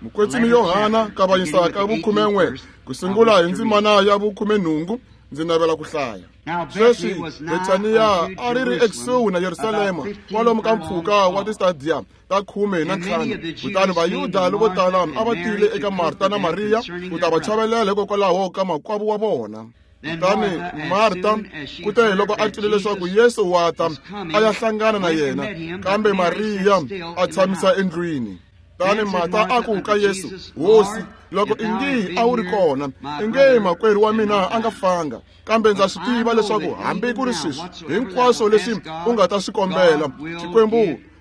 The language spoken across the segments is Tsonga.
Mukwetsimi Yohana kavanyisa ka vukhumen'we ku sungula hi ndzimana ya vukhumenhungu ndzi navela ku hlaya. Sweswi Betaniya a ri ri ekusuhi na Yerusalema kwalomu ka mpfhuka wa tistadiya ta 15. Kutani Vayuda lavo tala a va tile eka Marta na Mariya ku ta va chavelela hikokwalaho ka makwavo wa vona. Kutani Marta kute loko a twile leswaku Yesu wa ta a ya hlangana na yena, kambe Mariya a tshamisa endlwini. Kutani Marta a ku ka Yesu, Hosi, loko ingi a wu ri kona, inge makwerhu wa mina a nga fanga. Kambe ndza swi tiva leswaku hambi ku ri sweswi hinkwaswo leswi u nga ta swi kombela,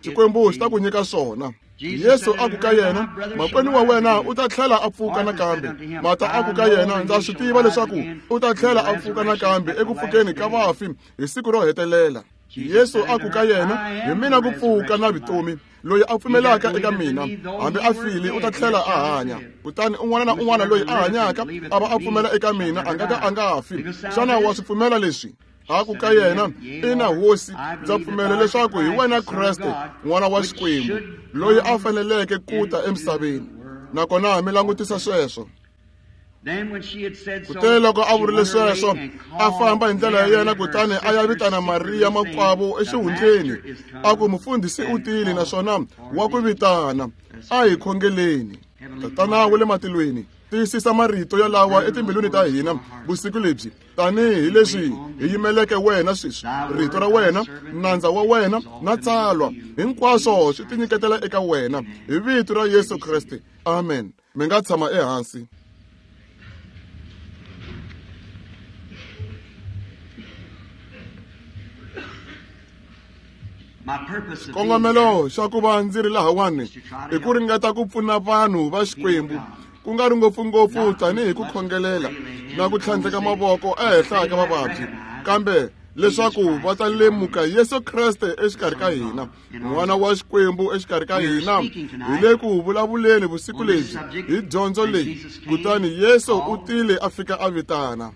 Xikwembu xi ta ku nyika swona. Yesu a ku ka yena, makwenu wa wena u ta tlhela a pfuka nakambe. Marta a ku ka yena, ndza swi tiva leswaku u ta tlhela a pfuka nakambe eku pfukeni ka vafi hi siku ro hetelela. Yesu a ku ka yena, hi mina ku pfuka na vutomi. Loyi a pfumelaka eka mina, hambi a file, u ta tlhela a hanya. Kutani un'wana na un'wana loyi a hanyaka a va a pfumela eka mina, a nga ka a nga fi. Xana wa swi pfumela leswi? A ku ka yena, ina Hosi, ndza pfumela leswaku hi wena Kreste, N'wana wa Xikwembu, loyi a faneleke ku ta emisaveni. Nakona mi langutisa sweswo. Kute loko a vurile sweswo, a famba hi ndlela ya yena kutani a ya vitana Mariya makwavo exihundleni, a ku, Mufundhisi u tile naswona wa ku vitana. A hi khongeleni. Tatana wa le matilweni, tiyisisa marito yalawa etimbilwini ta hina vusiku lebyi, tanihi leswi hi yimeleke wena sweswi. Rito ra wena, nandza wa wena na tsalwa, hinkwaswo swi tinyiketela eka wena hi vito ra Yesu Kreste. Amen. Mi nga tshama ehansi. Xikongomelo xa ku va ndzi ri lahawani i ku ringeta ku pfuna vanhu va Xikwembu, ku nga ri ngopfungopfu tanihi ku khongelela na ku tlhandleka mavoko ehenhla ka vavabyi, kambe leswaku va ta lemuka Yesu Kreste exikarhi ka hina, N'wana wa Xikwembu exikarhi ka hina. Hi le ku vulavuleni vusiku lebyi hi dyondzo leyi. Kutani Yesu u tile a fika a vitana.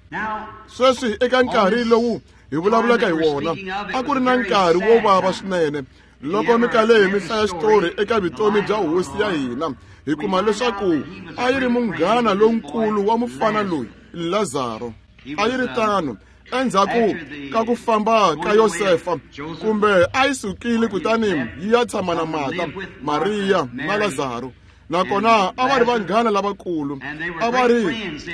Sweswi eka nkarhi lowu hi vulavulaka hi wona, a ku ri na nkarhi wo vava swinene. Loko mi kale mi hlaya xitori eka vutomi bya Hosi ya hina, hi kuma leswaku a yi ri munghana lonkulu wa mufana loyi, Lazaro. A yi ri tano endzhaku ka ku famba ka Yosefa, kumbe a yi sukile kutani yi ya tshama na Marta, Mariya na Lazaro. Nakona a va ri vanghana lavakulu, a va ri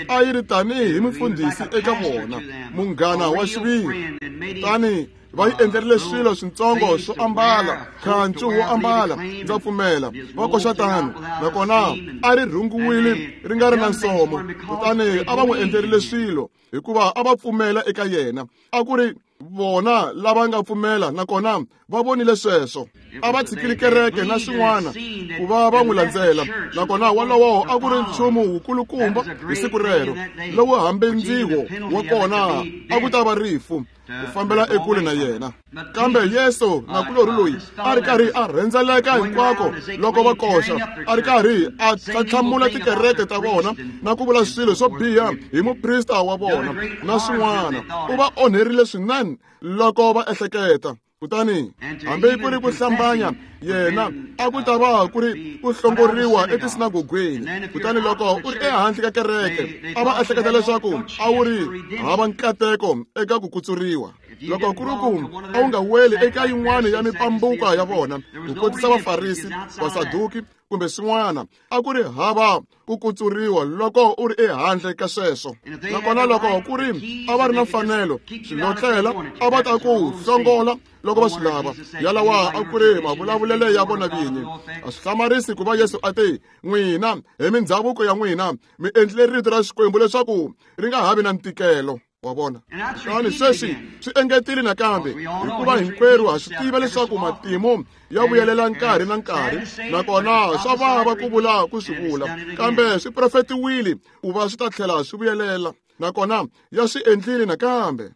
a yi ri tanihi mufundhisi eka vona, munghana wa xiviri. Kutani va yi endlerile swilo swintsongo swo ambala, khancu wo ambala, ndza pfumela va koxa tano. Nakona a ri rhungiwile ri nga ri na nsomo. Kutani a va n'wi endlerile swilo hikuva a va pfumela eka yena. A ku ri vona lava nga pfumela, nakona va vonile sweswo. A va tshikile kereke na swin'wana ku va va n'wi landzela. Nakona wolowo a ku ri nchumu wukulukumba hi siku rero, lowu hambi ndziho wa kona a ku ta va rifu, ku fambela ekule na yena. Kambe Yesu nakulorhi loyi a ri karhi a rhendzeleka hinkwako loko va koxa, a ri karhi a tlhatlhamula tikereke ta vona na ku vula swilo swo biha hi muprista wa vona na swin'wana. U va onherile swinene loko va ehleketa. Kutani hambi ku ri ku hlambanya yena a ku ta va ku ri ku hlongoriwa etisinagogweni. Kutani loko u ri ehandle ka kereke, a va ehleketa leswaku a wu ri hava nkateko eka ku kutsuriwa. Loko ku ri ku a wu nga weli eka yin'wana ya mipambuka ya vona, ku kotisa Vafarisi, Vasaduki kumbe swin'wana, a ku ri hava ku kutsuriwa loko u ri ehandle ka sweswo. Nakona loko ku ri a va ri na mfanelo, swilotlela a va ta ku hlongola loko va swi lava. Yalawa a ku ri mavulavulelo ya vona vinyi. A swi hlamarisi ku va Yesu a te, n'wina hi mindhavuko ya n'wina mi endlile rito ra Xikwembu leswaku ri nga ha vi na ntikelo. Wa vona? Kutani sweswi swi engetile nakambe, hikuva hinkwerhu ha swi tiva leswaku matimu ya vuyelela nkarhi na nkarhi, nakona swa vava ku vula ku swi vula, kambe swi profetiwile ku va swi ta tlhela swi vuyelela, nakona ya swi endlile nakambe.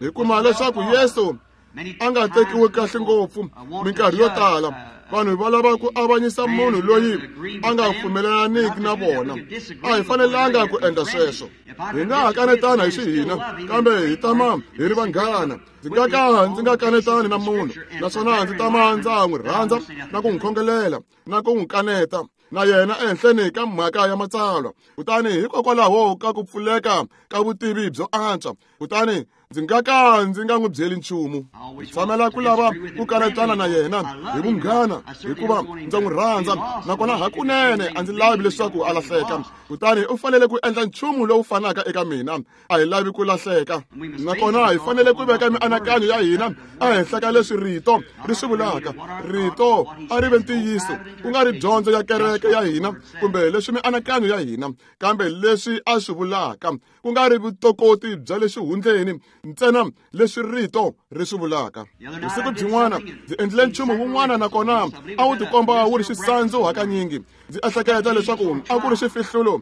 Hi kuma leswaku Yesu a nga tekiwi kahle ngopfu minkarhi yo tala. Vanhu va lava ku avanyisa munhu loyi a nga pfumelelaniki na vona. A hi fanelanga ku endla sweswo. Hi nga ha kanetana hi xihina, kambe hi tama hi ri vanghana. Ndzi nga ka ndzi nga kanetani na munhu, naswona ndzi tama ndza n'wi rhandza na ku n'wi khongelela na ku n'wi kaneta na yena ehenhleni ka mhaka ya matsalwa. Kutani hikokwalaho ka ku pfuleka ka vutivi byo antswa, kutani ndzi nga ka ndzi nga n'wi byeli nchumu. Ndzi tshamela ku lava ku kanetana na yena hi vunghana, hikuva ndza n'wi rhandza, nakona hakunene a ndzi lavi leswaku a lahleka. Kutani u fanele ku endla nchumu lowu fanaka eka mina. A hi lavi ku lahleka, nakona hi fanele ku veka mianakanyo ya hina ehenhla ka leswi rito ri swi vulaka. Rito a ri ve ntiyiso, ku nga ri dyondzo ya kereke ya hina kumbe leswi mianakanyo ya hina, kambe leswi a swi vulaka, ku nga ri vutokoti bya le xihundleni ntsena, leswi rito ri swi vulaka. Vusiku byin'wana ndzi endlile nchumu wun'wana, nakona a wu tikomba wu ri xisandzu hakanyingi. Ndzi ehleketa leswaku a ku ri xifihlulo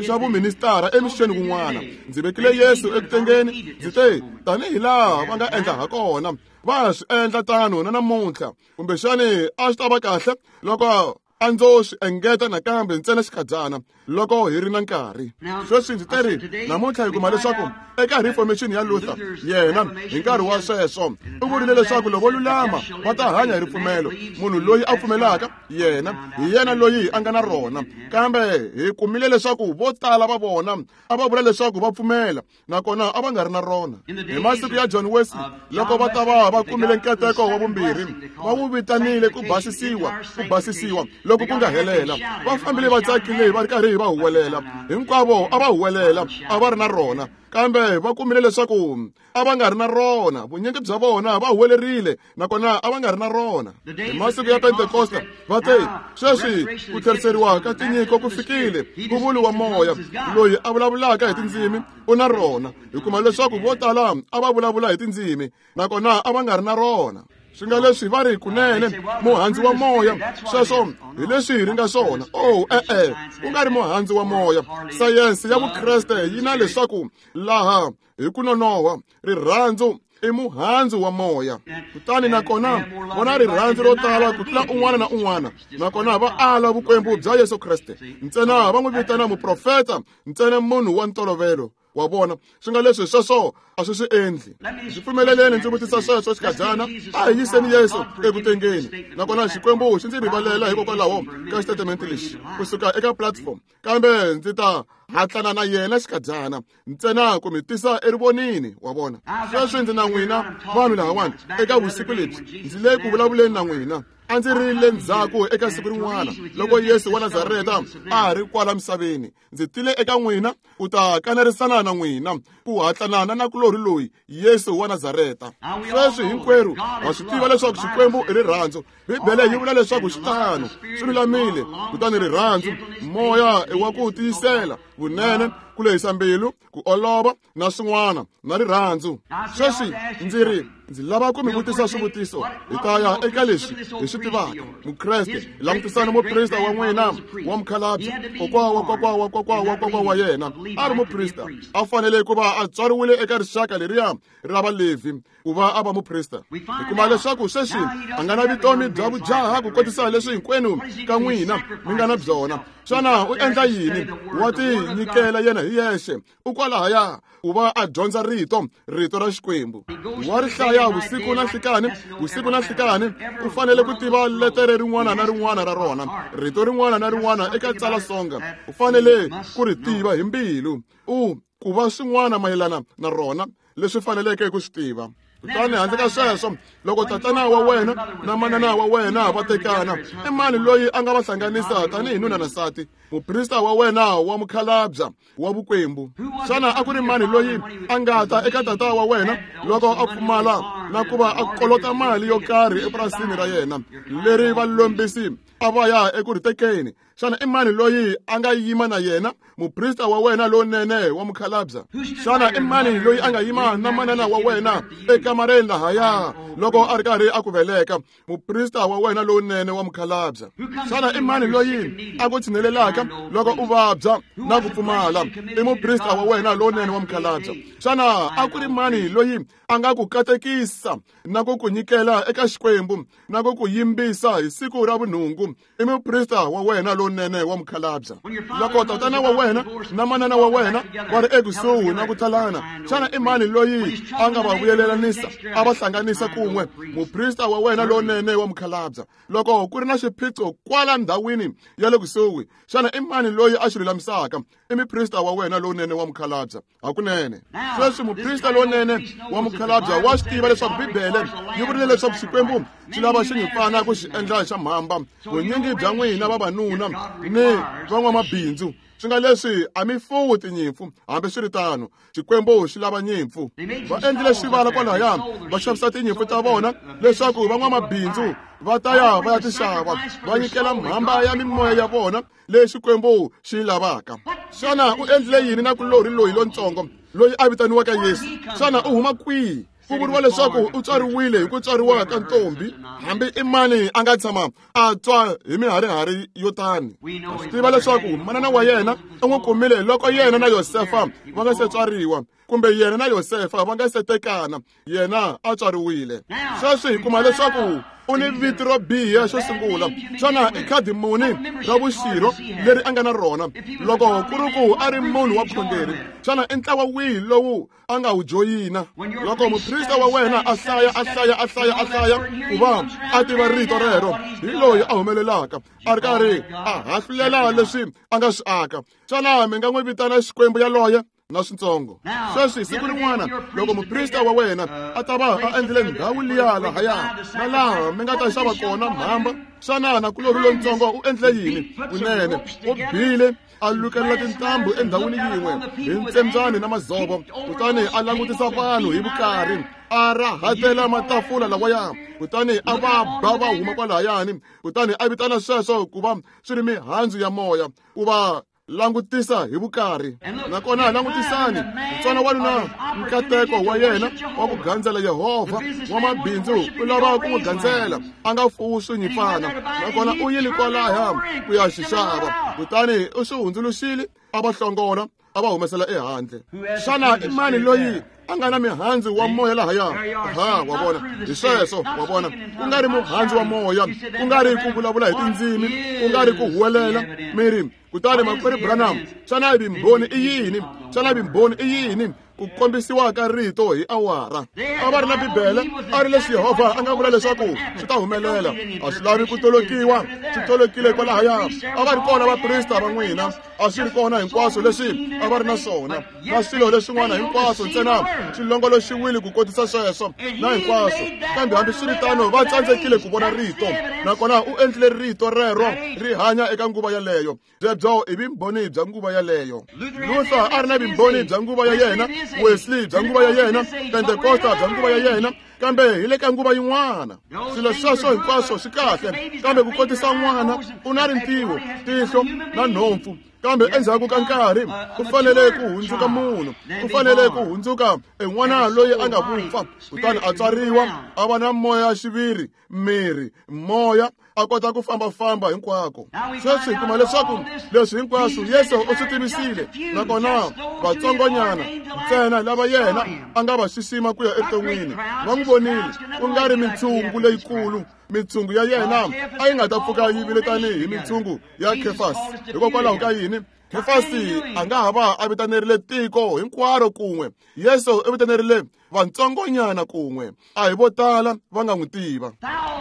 xa vuministara emixeni wun'wana. Ndzi vekile Yesu ekutengeni, ndzi te, tanihi laha va nga endla ha kona, va swi endla tano na namuntlha. Kumbexani a swi ta va kahle loko a ndzo swi engeta nakambe ntsena xikhadyana loko hi ri na nkarhi. Sweswi ndzi teri, namuntlha hi kuma leswaku eka Reformation ya Luther, yena hi nkarhi wa sweswo u vurile leswaku loko lulama va ta hanya hi ripfumelo. Munhu loyi a pfumelaka yena hi yena loyi a nga na rona. Kambe hi kumile leswaku vo tala va vona a va vula leswaku va pfumela, nakona a va nga ri na rona. Hi masiku ya John Wesley, loko va ta va va kumile nkateko wa vumbirhi, va wu vitanile ku basisiwa, ku basisiwa loko ku nga helela. Va fambile va tsakile va ri karhi va huwelela. Hinkwavo a va huwelela, a va ri na rona, kambe va kumile leswaku a va nga ri na rona. Vunyingi bya vona va huwelerile, nakona a va nga ri na rona. Hi masiku ya Pentekosta va te, sweswi ku tlheriseriwa ka tinyiko ku fikile, ku vuriwa moya. Loyi a vulavulaka hi tindzimi u na rona. Hi kuma leswaku vo tala a va vulavula hi tindzimi, nakona a va nga ri na rona. Swi nga leswi va ri kunene muhandzu wa moya, sweswo hi leswi ri nga swona. Oh, e-e, ku nga ri muhandzu wa moya. Sayense ya Vukreste yi na leswaku laha hi ku nonoha rirhandzu i muhandzu wa moya. Kutani nakona vona rirhandzu ro tala ku tlula un'wana na un'wana, nakona va ala vukwembu bya Yesu Kreste. Ntsena va n'wi vitana muprofeta, ntsena munhu wa ntolovelo wa vona. Swi nga leswi sweswo a swi swi endli. Ndzi pfumeleleni ndzi vutisa sweswo xikadyana. A hi yiseni Yesu ekutengeni, nakona Xikwembu xi ndzi rivalela hikokwalaho ka xitatimende lexi kusuka eka platform, kambe ndzi ta hatlana na yena xikadyana ntsena ku mi tisa erivonini wa vona. Sweswi ndzi na n'wina vanhu lahawani eka vusiku lebyi, ndzi le ku vulavuleni na n'wina. A ndzi ri le ndzhaku eka siku rin'wana loko Yesu wa Nazareta a ha ri kwala misaveni. Ndzi tile eka n'wina ku ta kanerisana na n'wina, ku hatlana na nakulorhi loyi Yesu wa Nazareta. Sweswi hinkwerhu ha swi tiva leswaku Xikwembu i rirhandzu. Bibele yi vula leswaku xi tano, swi lulamile. Kutani rirhandzu, moya i wa ku tiyisela, vunene, ku lehisa mbilu, ku olova na swin'wana, na rirhandzu. Sweswi ndzi ri, ndzi lava ku mi vutisa swivutiso. Hi ta ya eka leswi hi swi tivaka. Mukreste, langutisani muprista wa n'wina wa mukhalabye, kokwa wa kokwa wa kokwa wa kokwa wa yena a ri muprista, a fanele ku va a tswariwile eka rixaka leriya ra Valevhi ku va a va muprista. Hi kuma leswaku sweswi a nga na vutomi bya vujaha ku kotisa leswi hinkwenu ka n'wina mi nga na byona. Xana u endla yini? Wa tinyikela yena hi yexe. U kwalahaya ku va a dyondza rito, rito ra Xikwembu. Wa ri hlaya vusiku na nhlikani, vusiku na nhlikani. U fanele ku tiva letere rin'wana na rin'wana ra rona, rito rin'wana na rin'wana eka tsalasonga. U fanele ku ri tiva hi mbilu, u ku va swin'wana mayelana na rona leswi faneleke ku swi tiva. Kutani handle ka sweswo, loko tatana wa wena na manana wa wena va tekana, i mani loyi a nga va hlanganisa tanihi nuna na nsati? Muprista wa wena wa mukhalabya wa vukwembu. Xana a ku ri mani loyi a nga ta eka tata wa wena loko a pfumala na ku va a kolota mali yo karhi epurasini ra yena leri valombisi a va ya eku ri tekeni? Xana i mani loyi a nga yima na yena, muprista wa wena lowunene wa mukhalabye? Xana i mani loyi a nga yima na manana wa wena ekamareni lahaya loko a ri karhi a ku veleka, muprista wa wena lowunene wa mukhalabye? Xana i mani loyi a ku tshinelelaka loko u vabya na ku pfumala? I muprista wa wena lowunene wa mukhalabye. Xana a ku ri mani loyi a nga ku katekisa na ku ku nyikela eka Xikwembu na ku ku yimbisa hi siku ra vunhungu? I muprista wa wena lowunene wa mukhalabye. Loko tatana wa wena na manana wa wena va ri ekusuhi na ku talana, xana i mani loyi a nga va vuyelelanisa a va hlanganisa kun'we? Muprista wa wena lowunene wa mukhalabye. Loko ku ri na xiphiqo kwala ndhawini ya le kusuhi, xana i mani loyi a xi lulamisaka? I muprista wa wena lowunene wa mukhalabye. Hakunene sweswi muprista lowunene wa mukhalabye wa swi tiva leswaku Bibele yi vurile leswaku Xikwembu xi lava xinyimpfana ku xi endla xa mhamba. Vunyingi bya n'wina vavanuna ni van'wamabindzu swi nga leswi a mi fuwi tinyimpfu, hambiswiritano Xikwembu xi lava nyimpfu. Va endlile xivala kwalaya, va xavisa tinyimpfu ta vona leswaku van'wamabindzu va ta ya va ya ti xava, va nyikela mhamba ya mimoya ya vona leyi Xikwembu xi yi lavaka. Xana u endlile yini na kulorhi loyi lontsongo loyi a vitaniwaka Yesu? Xana u huma kwihi? Ku vuriwa leswaku u tswariwile hi ku tswariwa ka ntombi, hambi i mani a nga tshama a twa hi miharihari yo tani. Ha swi tiva leswaku manana wa yena u n'wi kumile loko yena na Yosefa va nga se tswariwa, kumbe yena na Yosefa va nga se tekana, yena a tswariwile. Sweswi hi kuma leswaku u ni vito ro biha. Xo sungula, xana i khadi muni ra vuxirho leri a nga na rona? Loko ku ri ku a ri munhu wa vukhongeri, xana i ntlawa wihi lowu a nga wu joyina? Loko muprista wa wena a hlaya a hlaya a hlaya a hlaya ku va a tiva rito rero, hi loyi a humelelaka a ri karhi a hahlulela leswi a nga swi aka. Xana mi nga n'wi vitana Xikwembu yaloye? Na swintsongo. Sweswi siku rin'wana loko muprista wa wena a ta va a endlile ndhawu liya lahaya na laha mi nga ta xava kona mhamba, xana nakulorhi lontsongo u endle yini? Kunene u bile a lukelela tintambu endhawini yin'we hi ntsembyani na mazovo, kutani a langutisa vanhu hi vukarhi, a rahatela matafula lawaya, kutani a va ba va huma kwalahayani, kutani a vitana sweswo ku va swi ri mihandzu ya moya, ku va langutisa hi vukarhi. Nakona langutisani ntsona wanuna, nkateko wa yena wa ku gandzela Yehovha. N'wamabindzu u lava ku n'wi gandzela, a nga fuwi swinyimpfana, nakona u yile kwalaya ku ya xi xava, kutani u swi hundzuluxile a va hlongola a va humesela ehandle. Xana i mani loyi a nga na mihandzu wa moya lahaya? Ha, wa vona, hi sweswo, wa vona, ku nga ri muhandzu wa moya, ku nga ri ku vulavula hi tindzimi, ku nga ri ku huwelela miri. Kutani makwerhu Branham, xana vumbhoni i yini? Xana vumbhoni i yini? Ku kombisiwa ka rito hi awara. A va ri na Bibele, a ri leswi Yehovha a nga vula leswaku swi ta humelela. A swi lavi ku tolokiwa, swi tolokile kwalahaya. A va ri kona vaprista va n'wina, a swi ri kona hinkwaswo leswi a va ri na swona, na swilo leswin'wana hinkwaswo, ntsena swi longoloxiwile ku kotisa sweswo na hinkwaswo. Kambe hambiswiritano va tsandzekile ku vona rito, nakona u endlile rito rero ri hanya eka nguva yaleyo. Byebyo i vumbhoni bya nguva yaleyo. Luther a ri na vumbhoni bya nguva ya yena, Wesley bya nguva ya yena, Pentekosta bya nguva ya yena, kambe hi le ka nguva yin'wana. Swilo sweswo hinkwaswo swi kahle, kambe ku kotisa n'wana u na rintiho, tihlo na nhompfu, kambe endzhaku ka nkarhi u fanele ku hundzuka munhu, u fanele ku hundzuka en'wana loyi a nga vupfa, kutani a tswariwa a va na moya xiviri, miri, moya, a kota ku fambafamba hinkwako. Sweswi hi kuma leswaku leswi hinkwaswo Yesu u swi tivisile, nakona vatsongonyana ntsena lava yena a nga va xixima ku ya evuton'wini va n'wi vonile, ku nga ri mintshungu leyikulu. Mintshungu ya yena a yi nga ta pfuka yi vile tanihi mintshungu ya Kefasi. Hikokwalaho ka yini? Kefasi a nga ha va a vitanerile tiko hinkwaro kun'we, Yesu u vitanerile vantsongonyana kun'we. A hi vo tala va nga n'wi tiva.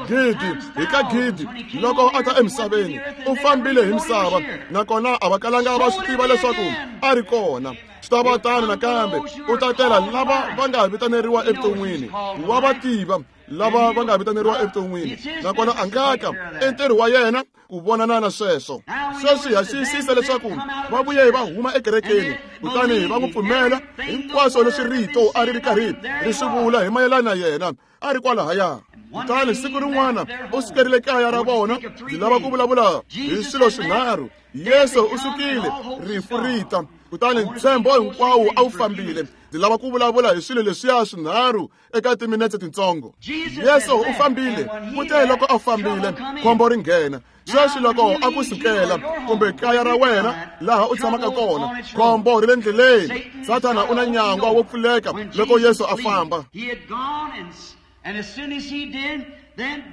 Gidi hi ka gidi loko a ta emisaveni, u fambile hi misava, nakona a va kalanga va swi tiva leswaku a ri kona. Swi ta va tano nakambe, u ta tela lava va nga vitaneriwa evuton'wini. Wa va tiva lava va nga vitaneriwa evuton'wini, nakona a nga ka i ntirho wa yena ku vonana na sweswo. Sweswi ha xiyisisa leswaku va vuye va huma ekerekeni, kutani va n'wi pfumela hinkwaswo leswi rito a ri ri karhi ri swi vula hi mayelana na yena a ri kwalahaya. Kutani siku rin'wana u sukerile kaya ra vona. Ndzi lava ku vulavula hi swilo swinharhu. Yesu u sukile, rifu ri ta, kutani ntshembo hinkwawo a wu fambile. Ndzi lava ku vulavula hi swilo leswiya swinharhu eka timinetse tintsongo. Yesu u fambile, kute loko a fambile, khombo ri nghena. Sweswi loko a ku sukela kumbe kaya ra wena laha u tshamaka kona, khombo ri le ndleleni. Sathana u na nyangwa wo pfuleka loko Yesu a famba.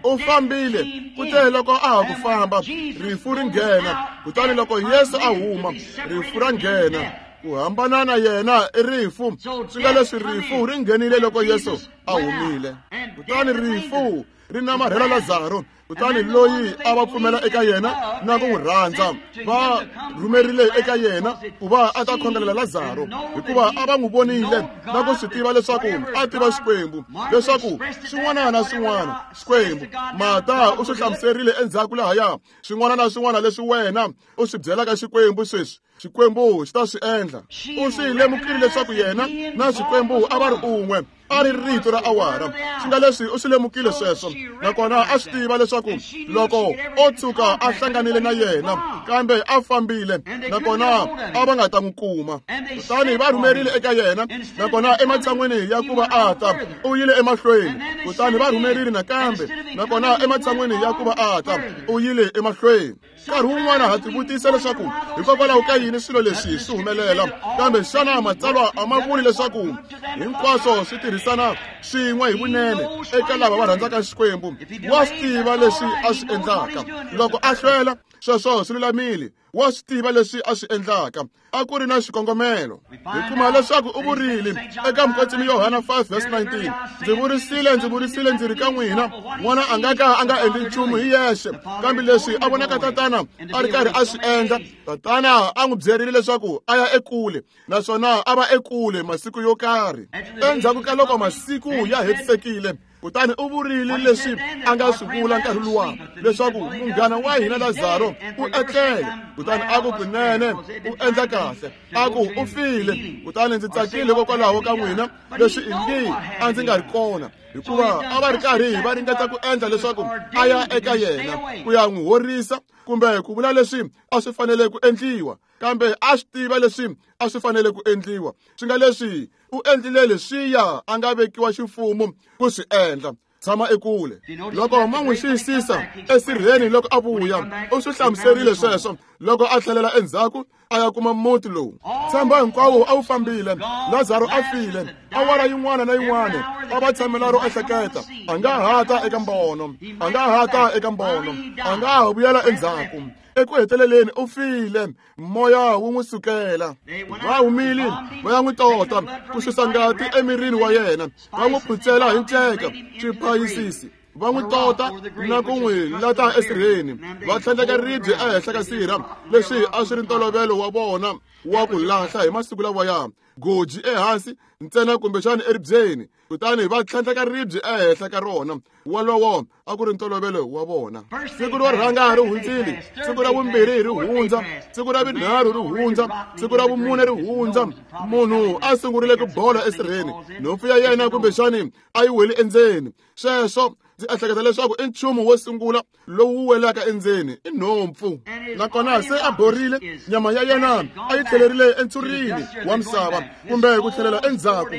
U fambile, kute loko a ha ku famba, rifu ri nghena. Kutani loko Yesu a huma, rifu ra nghena. Ku hambana na yena i rifu. Swi nga leswi rifu ri nghenile loko Yesu a humile. Kutani rifu ri namarhela Lazaro. Kutani loyi a va pfumela eka yena na ku n'wi rhandza, va rhumerile eka yena ku va a ta khongelela Lazaro, hikuva a va n'wi vonile na ku swi tiva leswaku a tiva Xikwembu, leswaku swin'wana na swin'wana Xikwembu. Marta u swi hlamuserile endzhaku lahaya, swin'wana na swin'wana leswi wena u swi byelaka Xikwembu sweswi, Xikwembu xi ta swi endla. U swi lemukile leswaku yena na Xikwembu a va ri un'we, a ri rito ra awara. Swi nga leswi u swi lemukile sweswo, nakona a swi tiva leswaku loko o tshuka a hlanganile na yena, kambe a fambile, nakona a va nga ta n'wi kuma. Kutani va rhumerile eka yena, nakona ematshan'wini ya ku va a ta, u yile emahlweni. Kutani va rhumerile nakambe, nakona ematshan'wini ya ku va a ta, u yile emahlweni. Nkarhi wun'wana ha tivutisa leswaku hikokwalaho ka yini swilo leswi swi humelela, kambe xana matsalwa a ma vuli leswaku hinkwaswo swi tirhisana swin'we hi vunene eka lava va rhandzaka Xikwembu? Wa swi tiva leswi a swi endlaka. Loko a hlwela, sweswo swi lulamile. Wa swi tiva leswi a swi endlaka. A ku ri na xikongomelo. Hi kuma leswaku u vurile eka Mukwetsimi Yohana 5 verse 19, ndzi vurisile, ndzi vurisile ndzi ri ka n'wina, n'wana a nga ka a nga endli nchumu hi yexe, kambe leswi a vonaka tatana a ri karhi a swi endla, tatana a n'wi byerile leswaku a ya ekule, naswona a va ekule masiku yo karhi. Endzhaku ka loko masiku ya hetisekile, kutani u vurile leswi a nga swi vula nkarhi luwa, leswaku munghana wa hina Lazaro u etlele. Kutani a ku, kunene u endla kahle. A ku, u file. Kutani ndzi tsakile hikokwalaho ka n'wina leswi ingi a ndzi nga ri kona, hikuva a va ri karhi va ringeta ku endla leswaku a ya eka yena ku ya n'wi horisa kumbe ku vula leswi a swi fanele ku endliwa, kambe a swi tiva leswi a swi fanele ku endliwa. Swi nga leswi u endlile leswiya a nga vekiwa ximfumo ku swi endla. Tshama ekule. Loko ma n'wi xiyisisa esirheni loko a vuya, u swi hlamuserile sweswo loko a tlhelela endzhaku a ya kuma muti lowu. Ntshembo hinkwawo a wu fambile. Lazaro a file. Awara yin'wana na yin'wana a va tshamela ro ehleketa, a nga ha ta eka mbono, a nga ha ta eka mbono, a nga ha vuyela endzhaku. Eku heteleleni u file, moya wu n'wi sukela. Va humile va ya n'wi tota ku susa ngati emirini wa yena, va n'wi phutsela hi nceka swiphayisisi, va n'wi tota na ku n'wi lata esirheni, va tlhandleka ribye ehenhla ka sirha, leswi a swi ri ntolovelo wa vona wa ku lahla hi masiku lawaya, goji ehansi ntsena kumbexana eribyeni, kutani va tlhandleka ribye ehenhla ka rona. Wolowo a ku ri ntolovelo wa vona. Siku ro rhanga ri hundzile, siku ra vumbirhi ri hundza, siku ra vunharhu ri hundza, siku ra vumune ri hundza. Munhu a sungurile ku bola esirheni, nhompfu ya yena kumbexani a yi weli endzeni. Sweswo ndzi ehleketa leswaku i nchumu wo sungula lowu wu welaka endzeni i nhompfu. Nakona se a borile, nyama ya yena a yi tlhelerile entshurini wa misava kumbe ku tlhelela endzhaku.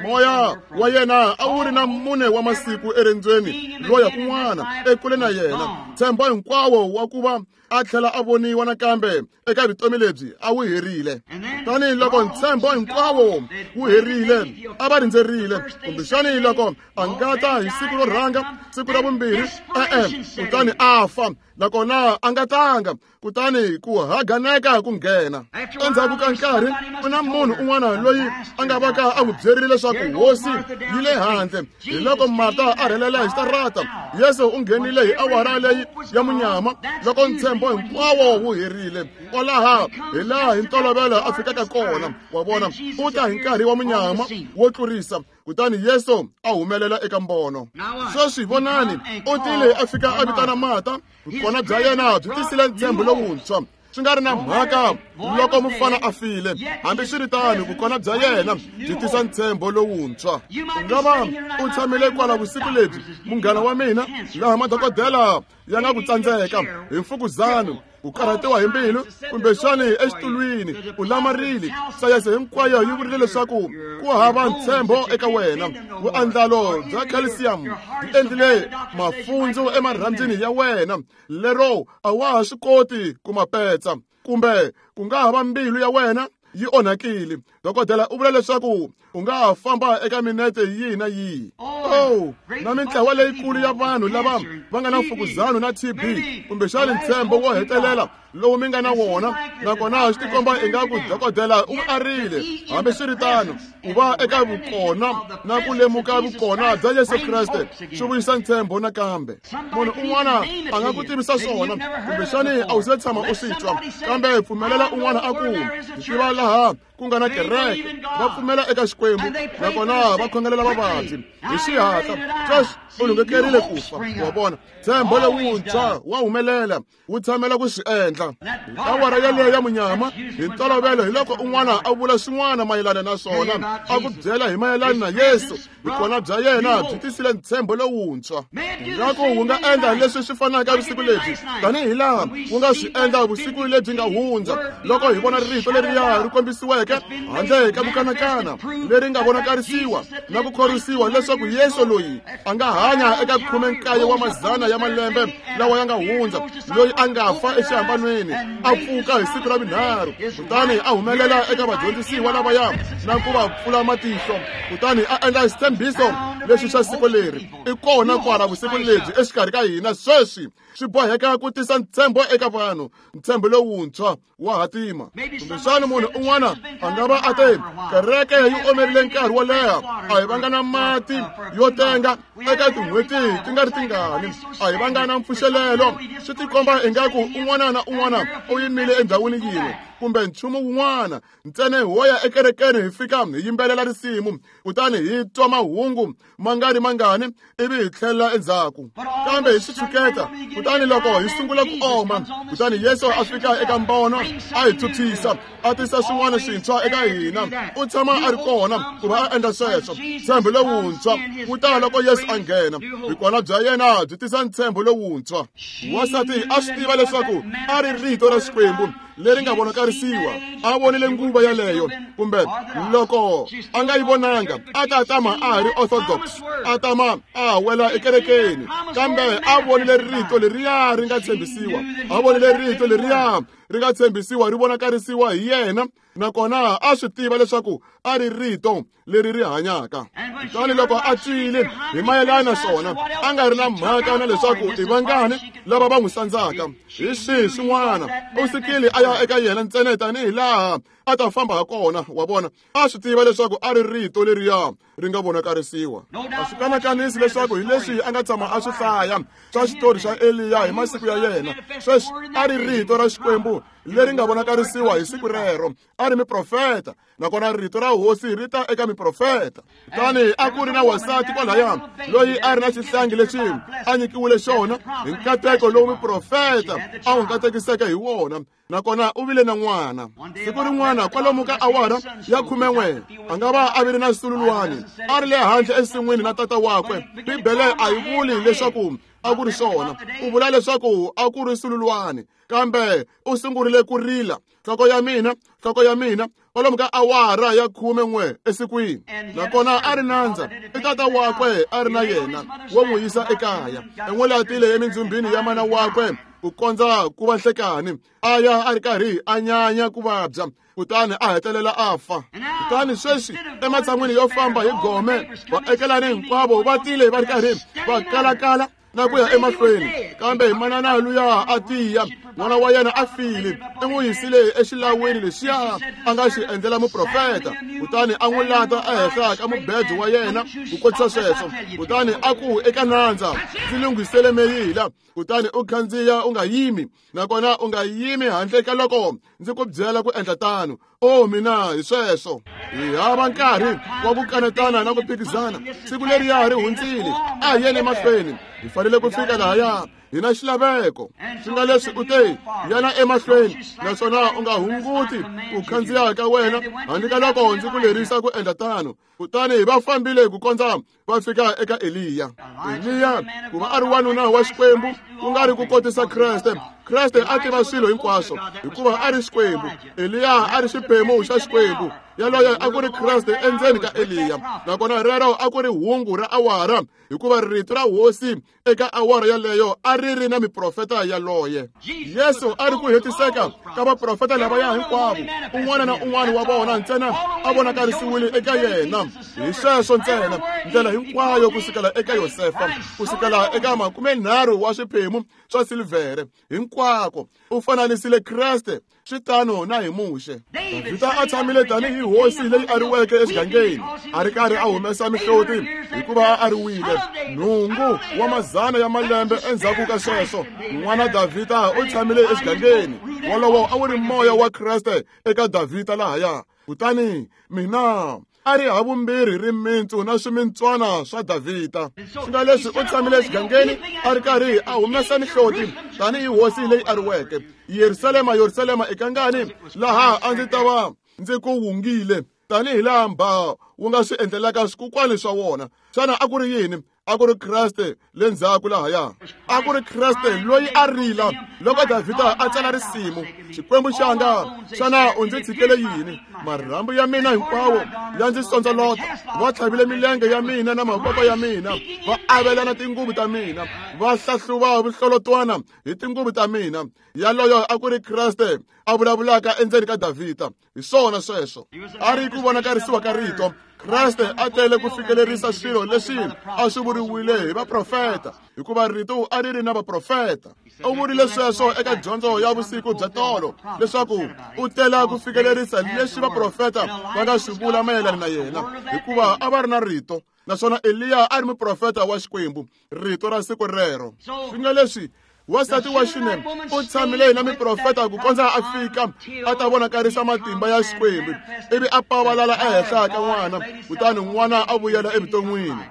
Moya wa yena a wu ri na mune wa masiku erendzweni ro ya kun'wana ekule na yena. Ntshembo hinkwawo wa ku va a tlhela a voniwa nakambe eka vutomi lebyi a wu herile. Tanihi loko ntshembo hinkwawo wu herile, a va rindzerile kumbexani loko a nga ta hi siku ro rhanga, siku ra vumbirhi, e-e, kutani a fa, nakona a nga tanga. Kutani ku haganeka ku nghena. Endzhaku ka nkarhi, ku na munhu un'wana loyi a nga vaka a n'wi byerile leswaku Hosi yi le handle. Hi loko Marta a rhelela hi xitarata, Yesu u nghenile hi awara leyi ya munyama loko ntshembo hinkwawo wu herile. Kwalaha hi laha hi ntolovelo a fikaka kona, wa vona, u ta hi nkarhi wa munyama wo tlurisa. Kutani Yesu a humelela eka mbono. Sweswi vonani, u tile a fika a vitana Marta. Vukona bya yena byi tisile ntshembo lowuntshwa. Swi nga ri na mhaka loko mufana a file, hambiswiritano vukona bya yena byi tisa ntshembo lowuntshwa. U nga va u tshamile kwala vusiku lebyi, munghana wa mina, laha madokodela ya nga ku tsandzeka hi mfukuzano, ku karhatiwa hi mbilu, kumbexani exitulwini u lamarile. Sayense hinkwayo yi vurile leswaku ku hava ntshembo eka wena. Vuandlalo bya calcium byi endlile mafundzu emarhambyini ya wena lero a wa ha swi koti ku ma petsa, kumbe ku nga ha va mbilu ya wena yi onhakile. Dokodela u vula leswaku u nga ha famba eka minete yihi na yihi. Oh, na mintlawa leyikulu ya vanhu lava va nga na mfukuzano na TB, kumbexani ntshembo wo hetelela lowu mi nga na wona, nakona swi tikomba ingaku dokodela u arile. Hambiswiritano, ku va eka vukona na ku lemuka vukona bya Yesu Kreste swi vuyisa ntshembo nakambe. Munhu un'wana a nga ku tivisa swona, kumbexani a wu se tshama u swi twa, kambe pfumelela un'wana a ku ndzi tiva laha ku nga na kereke, va pfumela eka Xikwembu nakona va khongelela vavabyi hi xihatla. Sweswi u lunghekerile ku fa, wa vona. Ntshembo lowuntshwa wa humelela, wu tshamela ku swi endla. Hi awara yeleyo ya munyama, hi ntolovelo hi loko un'wana a vula swin'wana mayelana na swona, a ku byela hi mayelana na Yesu, vukona bya yena byi tisile ntshembo lowuntshwa. Ngaku wu nga endla leswi swi fanaka vusiku lebyi tanihi laha wu nga swi endla vusiku lebyi nga hundza, loko hi vona rito leriya ri kombisiweke handle ka ku kanakana, leri nga vonakarisiwa na ku khorwisiwa leswaku Yesu loyi a nga hanya eka 19 wa mazana ya malembe lawa ya nga hundza, loyi a nga fa exihambanweni a pfuka hi siku ra vunharhu, kutani a humelela eka vadyondzisiwa lavaya na ku va pfula matihlo, kutani a endla xitshembiso lexi xa siku leri. I kona kwala vusiku lebyi exikarhi ka hina sweswi. Swi boheka ku tisa ntshembo eka vanhu, ntshembo lowuntshwa wa hatima. Kumbexani munhu un'wana a nga va a te, kereke yi omerile nkarhi wo leha, a hi vanga na mati yo tenga eka tin'hweti ti nga ri tingani, a hi vanga na mpfuxelelo. Swi tikomba ingaku un'wana na un'wana u yimile endhawini yin'we kumbe nchumu wun'wana ntsena. Ho ya ekerekeni, hi fika hi yimbelela risimu, kutani hi twa mahungu ma nga ri mangani, ivi hi tlhela endzhaku. Kambe hi swi tshuketa, kutani loko hi sungula ku oma, kutani Yesu a fika eka mbono, a hi tshutshisa, a tisa swin'wana swintshwa eka hina. U tshama a ri kona ku va a endla sweswo. Ntshembo lowuntshwa wu ta loko Yesu a nghena. Vukona bya yena byi tisa ntshembo lowuntshwa. Wansati a swi tiva leswaku a ri rito ra Xikwembu leri nga vonakarisiwa. A vonile nguva yaleyo, kumbe loko a nga yi vonanga, a ta tama a ha ri orthodox, a tama a wela ekerekeni, kambe a vonile rito leriya ri nga tshembisiwa, a vonile rito leriya ri nga tshembisiwa ri vonakarisiwa hi yena, nakona a swi tiva leswaku a ri rito leri ri hanyaka. Kutani loko a twile hi mayelana na swona, a nga ri na mhaka na leswaku i vangani lava va n'wi sandzaka hi swihi swin'wana, u sukile a ya eka yena ntsena tanihi laha a ta famba ha kona. Wa vona, a swi tiva leswaku a ri rito leriya ri nga vonakarisiwa. A swi kanakanisi leswaku hi leswi a nga tshama a swi hlaya swa xitori xa Eliya hi masiku ya yena. Sweswi a ri rito ra Xikwembu leri nga vonakarisiwa hi siku rero. A ri miprofeta, nakona rito ra hosi ri ta eka miprofeta. Kutani a ku ri na wansati kwalaya loyi a ri na xihlangi lexi a nyikiwile xona hi nkateko lowu miprofeta a wu nkatekiseke hi wona, nakona u vile na n'wana. Siku rin'wana kwalomu ka awara ya 11, a nga va a vile na sululwani, a ri le handle ensin'wini na tata wakwe. Bibele a yi vuli leswaku a ku ri swona, u vula leswaku a ku ri sululwani, kambe u sungurile ku rila, nhloko ya mina, nhloko ya mina, kwalomu ka awara ya 11 esikwini. Nakona a ri nandza, i tata wakwe a ri na yena wo n'wi yisa ekaya. I n'wi latile emindzhumbini ya mana wakwe ku kondza ku va nhlekani, a ya a ri karhi a nyanya ku vabya, kutani a hetelela a fa. Kutani sweswi ematshan'wini yo famba hi gome, vaekelani hinkwavo va tile va ri karhi va kalakala na ku ya emahlweni, kambe manana luya a tiya, n'wana wa yena a file. I n'wi yisile exilawini lexiya a nga xi endlela muprofeta, kutani a n'wi lata ehenhla ka mubedo wa yena ku kotisa sweswo. Kutani a ku eka nandza, ndzi lunghisele meyila, kutani u khandziya u nga yimi, nakona u nga yimi handle ka loko ndzi ku byela ku endla tano. O mina, hi sweswo hi hava nkarhi wa ku kanetana na ku phikizana. Siku leriya ri hundzile, a hi yeni emahlweni, hi fanele ku fika lahaya. Hi na xilaveko. Swi nga leswi u te, yana emahlweni, naswona u nga hunguti ku khandziya ka wena handle ka loko ndzi ku lerisa ku endla tano. Kutani va fambile ku kondza va fika eka Eliya. Eliya ku va a ri wanuna wa Xikwembu, ku nga ri ku kotisa Kreste. Kreste a tiva swilo hinkwaswo hikuva a ri Xikwembu. Eliya a ri xiphemu xa Xikwembu. Yaloye a ku ri Kreste endzeni ka Eliya, nakona rero a ku ri hungu ra awara, hikuva rito ra Hosi eka awara yaleyo a ri ri na miprofeta yaloye. Yesu a ri ku hetiseka ka vaprofeta lavaya hinkwavo, un'wana na un'wana wa vona ntsena a vonakarisiwile eka yena. Hi sweswo ntsena, ndlela hinkwayo kusukela eka Yosefa, kusukela eka 30 wa swiphemu swa silivhere, hinkwako u fananisile Kreste. Swi tano na hi Muxe. Davhida a tshamile tanihi hosi leyi ariweke exigangeni, a ri karhi a humesa mihloti hikuva a ariwile. 8 wa mazana ya malembe endzhaku ka sweswo, n'wana Davhida u tshamile exigangeni. Wolowo a wu ri moya wa Kreste eka Davhida lahaya. Kutani mina a ri havumbirhi rimitsu na swimintswana swa Davhida. Swi nga leswi u tshamile exigangeni a ri karhi a humesa mihloti tanihi hosi leyi ariweke. Yerusalema, Yerusalema, eka ngani laha a ndzi ta va ndzi ku wungile tanihi laha mbhaha wu nga swi endlelaka swikukwani swa wona. Xana a ku ri yini? A ku ri Kreste le ndzhaku lahaya. A ku ri Kreste loyi a rila loko Davhida a tsala risimu. Xikwembu xanga, xana u ndzi tshikele yini? Marhambu ya mina hinkwawo ya ndzi sondzolota. Va tlhavile milenge ya mina na mavoko ya mina, va avelana tinguvu ta mina, va hlahluva vuhlolotwana hi tinguvu ta mina. Yaloyo a ku ri Kreste a vulavulaka endzeni ka Davhida. Hi swona sweswo. A ri ku vonakarisiwa ka rito. Kreste a tele ku fikelerisa swilo leswi a swi vuriwile hi vaprofeta, hikuva rito a ri ri na vaprofeta. U vurile sweswo eka dyondzo ya vusiku bya tolo, leswaku u tela ku fikelerisa leswi vaprofeta va nga swi vula mayelana na yena, hikuva a va ri na rito. Naswona Eliya a ri muprofeta wa Xikwembu, rito ra siku rero. Swi nga leswi wansati wa Shunem u tshamile na miprofeta ku kondza a fika a ta vonakarisa matimba ya Xikwembu, ivi a pavalala ehenhla ka n'wana, kutani n'wana a vuyela evuton'wini.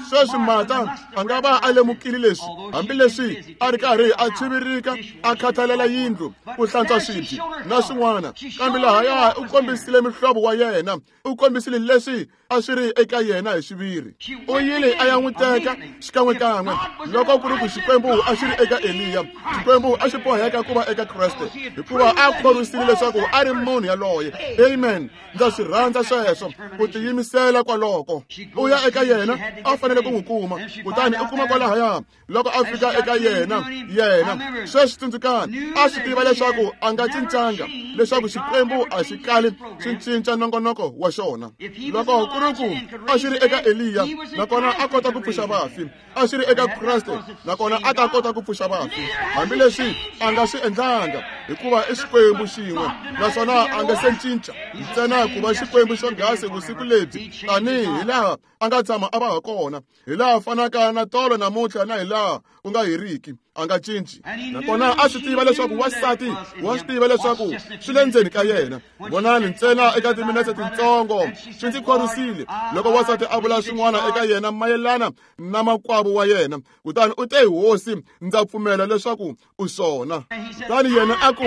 Sweswi Marta a nga va a lemukile leswi, hambileswi a ri karhi a chivirika a khathalela yindlu, ku hlantswa swibye na swin'wana, kambe lahaya u kombisile mihlovo wa yena, u kombisile leswi a swi ri eka yena hi xiviri. U yile a ya n'wi teka xikan'wekan'we. Loko ku ri ku Xikwembu a xi ri eka Eliya, Xikwembu a xi boheka ku va eka Kreste, hikuva a khorwisile leswaku a ri munhu yaloye. Amen. Ndza swi rhandza sweswo, ku tiyimisela kwaloko. U ya eka yena, a fanele ku n'wi kuma, kutani u kuma kwalahaya. Loko a fika eka yena, yena sweswi tsundzukani, a swi tiva leswaku a nga cincanga, leswaku Xikwembu a xi kali xi cinca nongonoko wa xona. Loko ku ri ku a xi ri eka Eliya, nakona a kota ku pfuxa vafi, a xi ri eka Kreste, nakona a ta kota ku pfuxa vafi, hambileswi a nga swi endlanga, hikuva i Xikwembu xin'we, naswona a nga se cinca. Ntsena ku va Xikwembu xo nghasi vusiku lebyi, tanihi hilaha a nga tshama a va ha kona, hi laha fanaka na tolo namuntlha na hi laha ku nga heriki, a nga cinci. Nakona a swi tiva leswaku wansati wa swi tiva leswaku swi le ndzeni ka yena. Vonani ntsena eka timinetse tintsongo, swi ndzi khorwisile loko wansati a vula swin'wana eka yena mayelana na makwavo wa yena, kutani u te, Hosi, ndza pfumela leswaku u swona. Kutani yena a ku,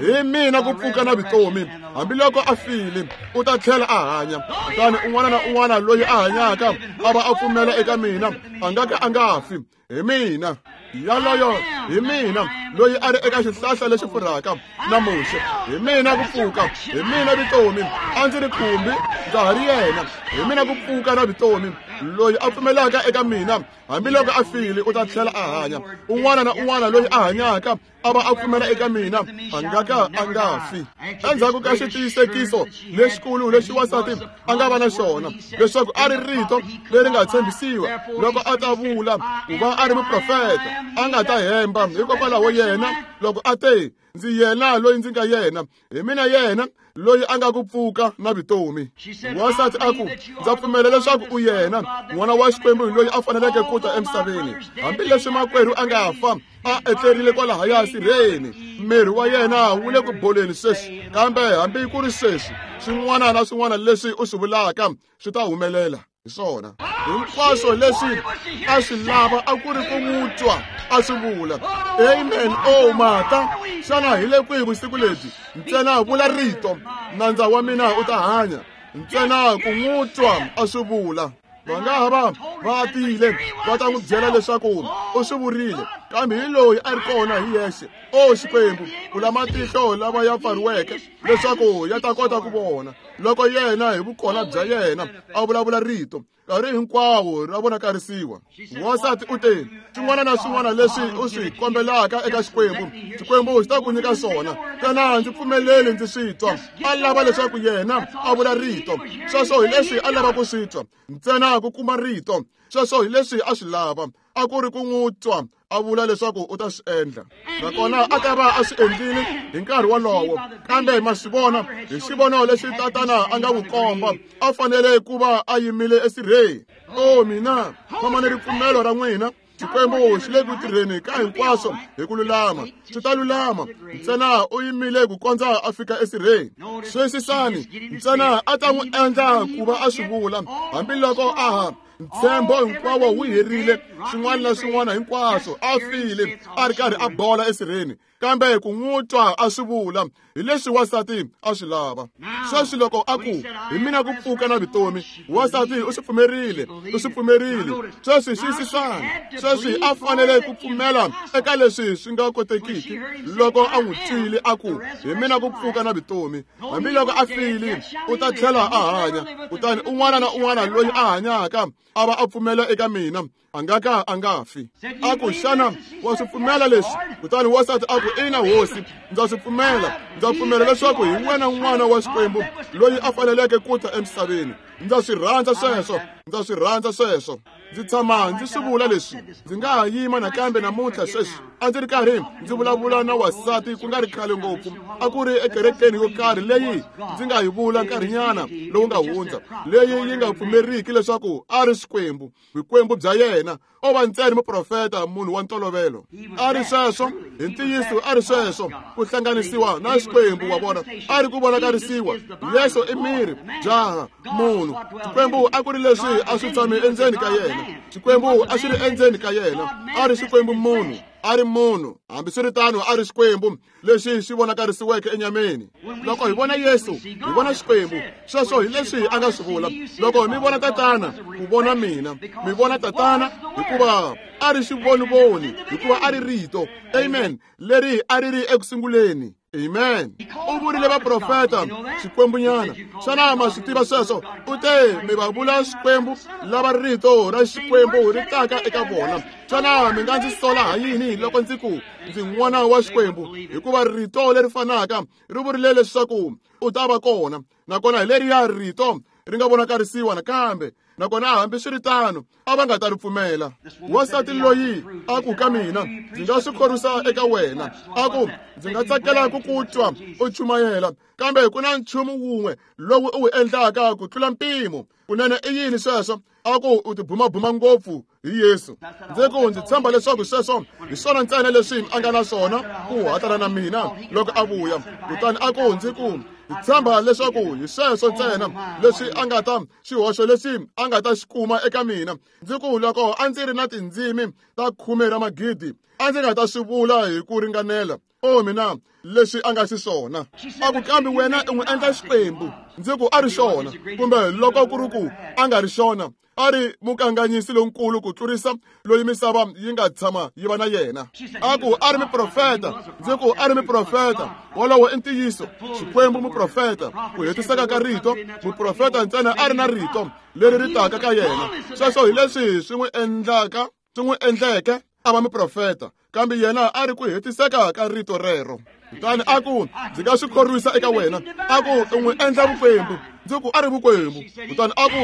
hi mina ku pfuka na vutomi, hambiloko a file u ta tlhela a hanya. Kutani un'wana na un'wana loyi a hanyaka a va a pfumela eka mina a nga ka a nga fi. Hi mina yaloyo, hi mina loyi a ri eka xihlahla lexi pfurhaka na Muxe. Hi mina ku pfuka, hi mina vutomi. A ndzi ri khumbi, ndza ha ri yena. Hi mina ku pfuka na vutomi. Loyi a pfumelaka eka mina, hambiloko a file, u ta tlhela a hanya. Un'wana na un'wana loyi a hanyaka a va a pfumela eka mina a nga ka a nga fi. Endzhaku ka xitiyisekiso lexikulu lexi wansati a nga va na xona, leswaku a ri rito leri nga tshembisiwa, loko a ta vula ku va a ri muprofeta, a nga ta hemba. Hikokwalaho yena loko a te, ndzi yena loyi ndzi nga yena, hi mina yena loyi a nga ku pfuka na vutomi. Wansati a ku, ndza pfumela leswaku u yena n'wana wa Xikwembu loyi a faneleke ku ta emisaveni. Hambileswi makwerhu a nga fa a etlerile kwalahaya sirheni, miri wa yena wu le ku boleni sweswi, kambe hambi ku ri sweswi swin'wana na swin'wana leswi u swi vulaka swi ta humelela. Hi swona hinkwaswo leswi a swi lava a ku ri ku n'wi twa a swi vula. Amen. O Mata, xana hi le kwihi vusiku lebyi? Ntsena vula rito, nandza wa mina u ta hanya. Ntsena ku n'wi twa a swi vula. Va nga ha va va tile va ta n'wi byela leswaku u swi vurile, kambe hi loyi a ri kona hi yexe. O Xikwembu, pfula matihlo lawa ya pfariweke leswaku ya ta kota ku vona loko yena hi vukona bya yena a vulavula rito nkarhi hinkwawo ra vonakarisiwa. Wansati u te, swin'wana na swin'wana leswi u swi kombelaka eka Xikwembu, Xikwembu xi ta ku nyika swona. Tana ndzi pfumeleli ndzi swi twa. A lava leswaku yena a vula rito. Sweswo hi leswi a lava ku swi twa, ntsena ku kuma rito. Sweswo hi leswi a swi lava, a ku ri ku n'wi twa a vula leswaku u ta swi endla. Nakona a ta va a swi endlile hi nkarhi wolowo, kambe ma swi vona hi xivono lexi tatana a nga n'wi komba, a fanele ku va a yimile esirheni. O mina, khomani ripfumelo ra n'wina. Xikwembu xi le ku tirheni ka hinkwaswo hi ku lulama, swi ta lulama. Ntsena u yimile ku kondza a fika esirheni. Sweswisani, ntsena a ta n'wi endla ku va a swi vula, hambiloko a ha ntshembo hinkwawo wu herile, swin'wana na swin'wana hinkwaswo, a file a ri karhi a bola esirheni, kambe ku n'wi twa a swi vula hi leswi wansati a swi lava. Sweswi loko a ku hi mina ku pfuka na vutomi, wansati u swi pfumerile, u swi pfumerile. Sweswi xiyisisani, sweswi a fanele ku pfumela eka leswi swi nga kotekiki loko a n'wi twile a ku hi mina ku pfuka na vutomi, hambiloko a file u ta tlhela a hanya. Kutani un'wana na un'wana loyi a hanyaka a va a pfumela eka mina a nga ka a nga fi. A ku, xana wa swi pfumela leswi? Kutani wansati a ku, ina hosi, ndza swi pfumela. Ndza pfumela leswaku hi wena n'wana wa Xikwembu loyi a faneleke ku ta emisaveni. Ndza swi rhandza sweswo, ndza swi rhandza sweswo. Ndzi tshama ndzi swi vula leswi. Ndzi nga ha yima nakambe namuntlha sweswi. A ndzi ri karhi ndzi vulavula na wansati ku nga ri khale ngopfu, a ku ri ekerekeni yo karhi leyi ndzi nga yi vula nkarhinyana lowu nga hundza, leyi yi nga pfumeriki leswaku a ri Xikwembu, vukwembu bya yena o va ntsena muprofeta, munhu wa ntolovelo. A ri sweswo hi ntiyiso, a ri sweswo ku hlanganisiwa na Xikwembu. Wa vona, a ri ku vonakarisiwa. Yesu i miri, jaha, munhu. Xikwembu a ku ri leswi a swi tshame endzeni ka yena. Xikwembu a xi ri endzeni ka yena. A ri Xikwembu munhu, a ri munhu, hambiswiritano a ri Xikwembu lexi xi vonakarisiweke enyameni. Loko hi vona Yesu, hi vona Xikwembu. Sweswo hi leswi a nga swi vula. Loko mi vona Tatana, ku vona mina. Mi vona Tatana hikuva a ri xivonivoni, hikuva a ri rito. Amen. Leri a ri ri ekusunguleni. Amen. U vurile vaprofeta Xikwembunyana. Xana ma swi tiva sweswo? U te mi va vula Xikwembu lava rito ra Xikwembu ri taka eka vona. Xana mi nga ndzi sola ha yini loko ndzi ku ndzi n'wana wa Xikwembu? Hikuva rito leri fanaka ri vurile leswaku u ta va kona, nakona hi leriya rito ri nga vonakarisiwa nakambe, nakona hambiswiritano a va nga ta ri pfumela. Wansati loyi a ku ka mina, ndzi nga swi khorwisa eka wena. A ku, ndzi nga tsakela ku ku twa u chumayela, kambe ku na nchumu wun'we lowu u wu endlaka ku tlula mpimo. Kunene i yini sweswo? A ku u tibumabuma ngopfu hi Yesu. Ndzi ku ndzi tshemba leswaku sweswo hi swona ntsena leswi a nga na swona ku hatlana na mina loko a vuya. Kutani a ku, ndzi ku ndzi tshemba leswaku hi sweswo ntsena leswi a nga ta xihoxo lexi a nga ta xi kuma eka mina. Ndzi ku loko a ndzi ri na tindzimi ta 10 ra magidi, a ndzi nga ta swi vula hi ku ringanela. O mina, leswi a nga xiswona. A ku, kambe wena u n'wi endla Xikwembu. Ndzi ku a ri xona, kumbe loko ku ri ku a nga ri xona, a ri mukanganyisi lonkulu ku tlurisa loyi misava yi nga tshama yi va na yena. A ku a ri muprofeta. Ndzi ku a ri muprofeta. Wolowo i ntiyiso. Xikwembu muprofeta, ku hetiseka ka rito. Muprofeta ntsena a ri na rito leri ri taka ka yena. Sweswo hi leswi swi n'wi endlaka, swi n'wi endleke a va muprofeta, kambe yena a ri ku hetiseka ka rito rero. Kutani a ku, ndzi nga swi khorwisa eka wena. A ku, u n'wi endla vukwembu. Ndzi ku a ri vukwembu. Kutani a ku,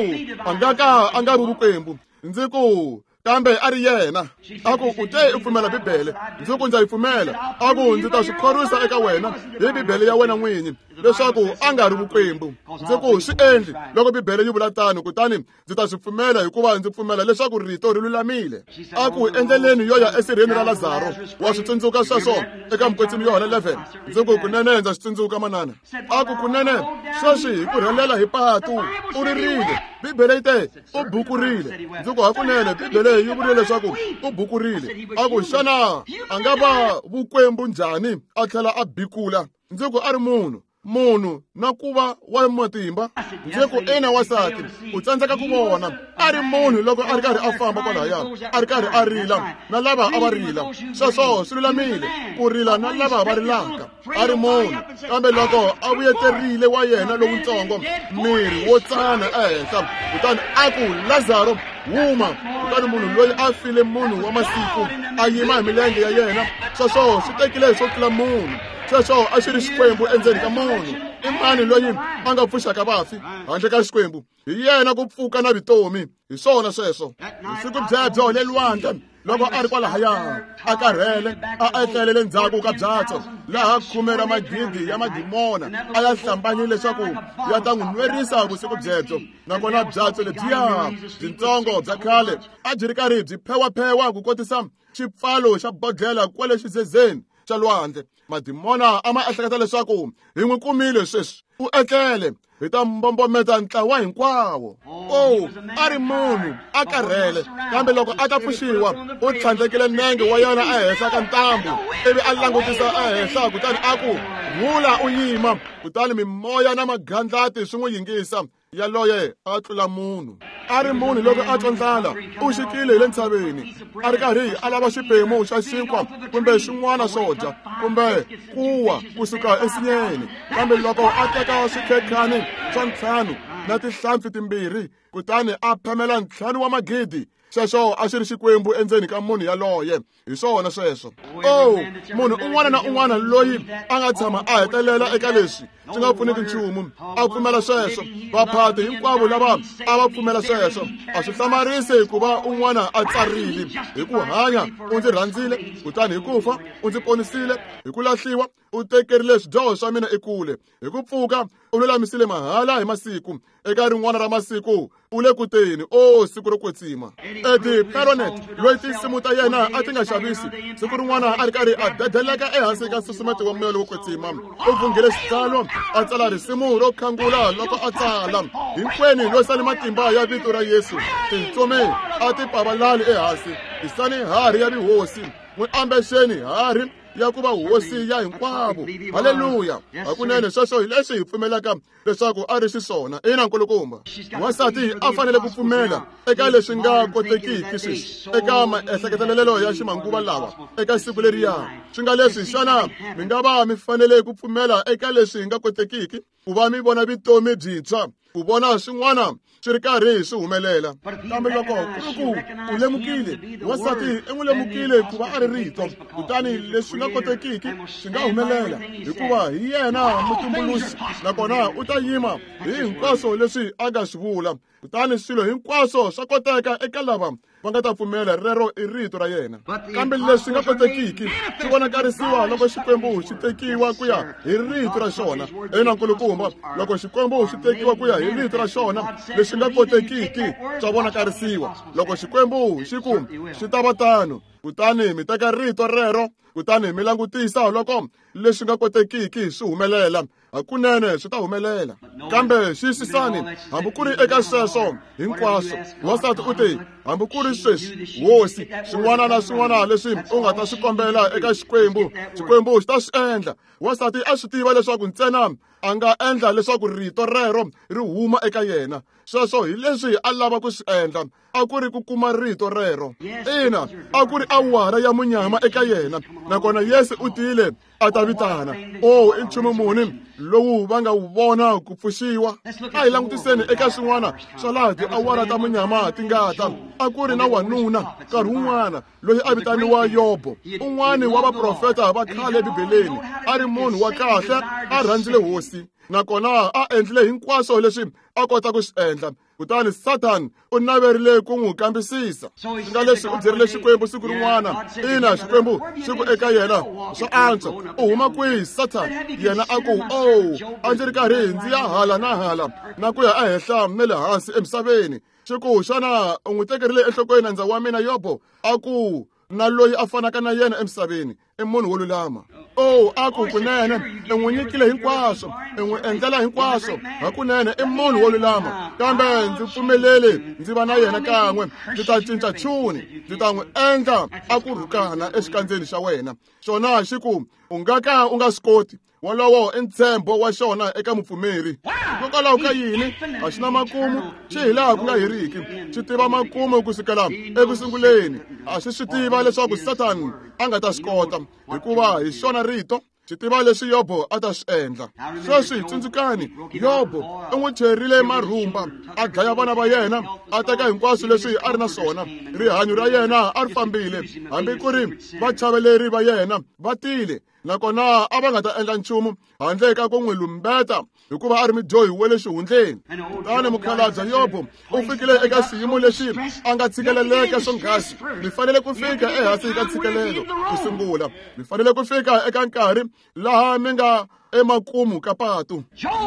a nga ka a nga vi vukwembu. Ndzi ku, Kambe a ri yena. A ku, u te u pfumela Bibele. Ndzi ku, ndza yi pfumela. A ku, ndzi ta swi khorwisa eka wena hi Bibele ya wena n'winyi leswaku a nga ri vukwembu. Ndzi ku, swi endli loko Bibele yi vula tano, kutani ndzi ta swi pfumela hikuva ndzi pfumela leswaku rito ri lulamile. A ku, endleleni yo ya esirheni ra Lazaro, wa swi tsundzuka sweswo eka Mukwetsimi Yohane 11. Ndzi ku, kunene ndza swi tsundzuka, manana. A ku, kunene sweswi hi ku rhelela hi patu u ririle. Bibele yi te u bukurile. Ndzi ku, hakunene Bibele yi vurile leswaku u bukurile. A ku, xana a nga va vukwembu njhani a tlhela a bikula? Ndzi ku, a ri munhu, munhu na ku va wa matimba. Ndzi ku, ina wansati, u tsandzeka ku vona. A ri munhu loko a ri karhi a famba kwalaya, a ri karhi a rila na lava a va rila. Sweswo swi lulamile ku rila na lava va rilaka. A ri munhu, kambe loko a vuyeterile wa yena lowutsongo miri wo tsana ehenhla, kutani a ku, Lazaro, huma. Kutani munhu loyi a file munhu wa masiku a yima hi milenge ya yena. Sweswo swi tekile swo tlula munhu. Sweswo a xi ri Xikwembu endzeni ka munhu. I mani loyi a nga pfuxaka vafi handle ka Xikwembu? Hi yena ku pfuka na vutomi. Hi swona sweswo. Vusiku byebyo le lwandle, loko a ri kwalahaya a karhele, a etlelele ndzhaku ka byatso, laha khume ra magidi ya madimona a ya hlambanyile leswaku ya ta n'wi nwerisa vusiku byebyo. Nakona byatso lebyiya byintsongo bya khale a byi ri karhi byi phewaphewa ku kotisa xipfalo xa bodlhela kwale xizezeni xa lwandle. Madimona a ma ehleketa leswaku hi n'wi kumile sweswi, u etlele, hi ta mbombometa ntlawa hinkwawo. O, a ri munhu a karhele, kambe loko a ta pfuxiwa u tlhandlekile nenge wa yena ehenhla ka ntambu, ivi a langutisa ehenhla, kutani a ku, rhula u yima. Kutani mimoya na magandlati swi n'wi yingisa. Yaloye a tlula munhu. A ri munhu loko a twa ndlala, u xikile hi le ntshaveni a ri karhi a lava xiphemu xa xinkwa kumbe xin'wana swo dya kumbe kuwa kusuka ensinyeni. Kambe loko a teka swikhekhani swa 5 na tihlampfi timbirhi, kutani a phamela 5 wa magidi, sweswo a xi ri Xikwembu endzeni ka munhu yaloye. Hi swona sweswo. Oh, munhu un'wana na un'wana loyi a nga tshama a hetelela eka leswi swi nga pfuniki nchumu a pfumela sweswo. Vaphati hinkwavo lava a va pfumela sweswo. A swi hlamarisi ku va un'wana a tsarile, hi ku hanya u ndzi rhandzile, kutani hi ku fa u ndzi ponisile, hi ku lahliwa u tekerile swidyoho swa mina ekule, hi ku pfuka u lulamisile mahala hi masiku. Eka rin'wana ra masiku u le ku teni, o siku ro kwetsima. Eddie Perronet, loyi tinsimu ta yena a ti nga xavisi, siku rin'wana a ri karhi a dedeleka ehansi ka nsusumeto wa moya lowo kwetsima, u vunghile xitsalo a tsala risimu ro khangula. Loko a tsala, hinkwenu lwisani matimba ya vito ra Yesu, tintsumi a ti pavalali ehansi, tisani harhi ya vihosi, n'wi ambexeni harhi ya ku va hosi ya hinkwavo. Haleluya! Hakunene sweswo hi leswi hi pfumelaka leswaku a ri xiswona. Ina, nkulukumba. Wansati a fanele ku pfumela eka leswi nga kotekiki sweswi eka maehleketelelo ya ximanguva lawa eka siku leriya. Swi nga leswi, xana mi nga va mi fanele ku pfumela eka leswi nga kotekiki ku va mi vona vutomi byintshwa, ku vona swin'wana swi ri karhi swi humelela? Kambe loko ku ri ku u lemukile, wansati i n'wi lemukile ku va a ri rito, kutani leswi nga kotekiki swi nga humelela, hikuva hi yena mutumbuluxi, nakona u ta yima hi hinkwaswo leswi a nga swi vula. Kutani swilo hinkwaswo swa koteka eka lava va nga ta pfumela. Rero i rito ra yena. Kambe leswi nga kotekiki swi vonakarisiwa loko Xikwembu xi tekiwa ku ya hi rito ra xona. Ina, nkulukumba, loko Xikwembu xi tekiwa ku ya hi rito ra xona, leswi nga kotekiki swa vonakarisiwa. Loko Xikwembu xi ku swi ta va tano, kutani mi teka rito rero, kutani mi langutisa loko leswi nga kotekiki swi humelela. Hakunene swi ta humelela. Kambe xiyisisani, hambi ku ri eka sweswo hinkwaswo, wansati u te, hambi ku ri sweswi, hosi, swin'wana na swin'wana leswi u nga ta swi kombela eka Xikwembu, Xikwembu xi ta swi endla. Wansati a swi tiva leswaku ntsena a nga endla leswaku rito rero ri huma eka yena. Sweswo hi leswi a lava ku swi endla, a ku ri ku kuma rito rero. Ina, a ku ri awara ya munyama eka yena, nakona Yesu u tile a ta vitana. O, i nchumu muni lowu va nga wu vona ku pfuxiwa? A hi langutiseni eka swin'wana swa laha tiawara ta munyama ti nga ta. A ku ri na wanuna nkarhi wun'wana loyi a vitaniwa Yobo, un'wana wa vaprofeta va khale eBibeleni. A ri munhu wa kahle, a rhandzile hosi. hosi nakona a endlile hinkwaswo leswi a kota ku swi endla. Kutani Satan u naverile ku n'wi kambisisa. Swi nga leswi u byerile Xikwembu siku rin'wana. Ina, Xikwembu xi ku eka yena, swa antswa u huma kwihi Satan? Yena a ku, oh, a ndzi ri karhi ndzi ya hala na hala na ku ya ehenhla na le hansi emisaveni. Xi ku, xana u n'wi tekerile enhlokweni nandza wa mina Yobo? A ku, na loyi a fanaka na yena emisaveni i munhu wo lulama. Oh, a ku, kunene i n'wi nyikile hinkwaswo, i n'wi endlela hinkwaswo, hakunene i munhu wo lulama, kambe ndzi pfumeleli ndzi va na yena kan'we, ndzi ta cinca chuni, ndzi ta n'wi endla a ku rhukana exikandzeni xa wena. Xona xi ku, u nga ka u nga swi koti. Wolowo i ntshembo wa xona eka mupfumeri. Hikokwalaho ka yini? A xi na makumu, xi hi laha ku nga heriki. Xi tiva makumu ku sukela eku sunguleni. A xi swi tiva leswaku Satan a nga ta swi kota, hikuva hi xona rito. Xi tiva leswi Yobo a ta swi endla. Sweswi tsundzukani, Yobo u n'wi cherile marhumba, a dlaya vana va yena, a teka hinkwaswo leswi a ri na swona. Rihanyo ra yena a ri fambile, hambi ku ri vachaveleri va yena va tile, nakona a va nga ta endla nchumu handle ka ku n'wi lumbeta hikuva a ri mudyohi wa le xihundleni. Kutani mukhalabye Yobo u fikile eka xiyimo lexi a nga tshikeleleka swonghasi. Mi fanele ku fika ehansi ka ntshikelelo ku sungula. Mi fanele ku fika eka nkarhi laha mi nga emakumu ka patu.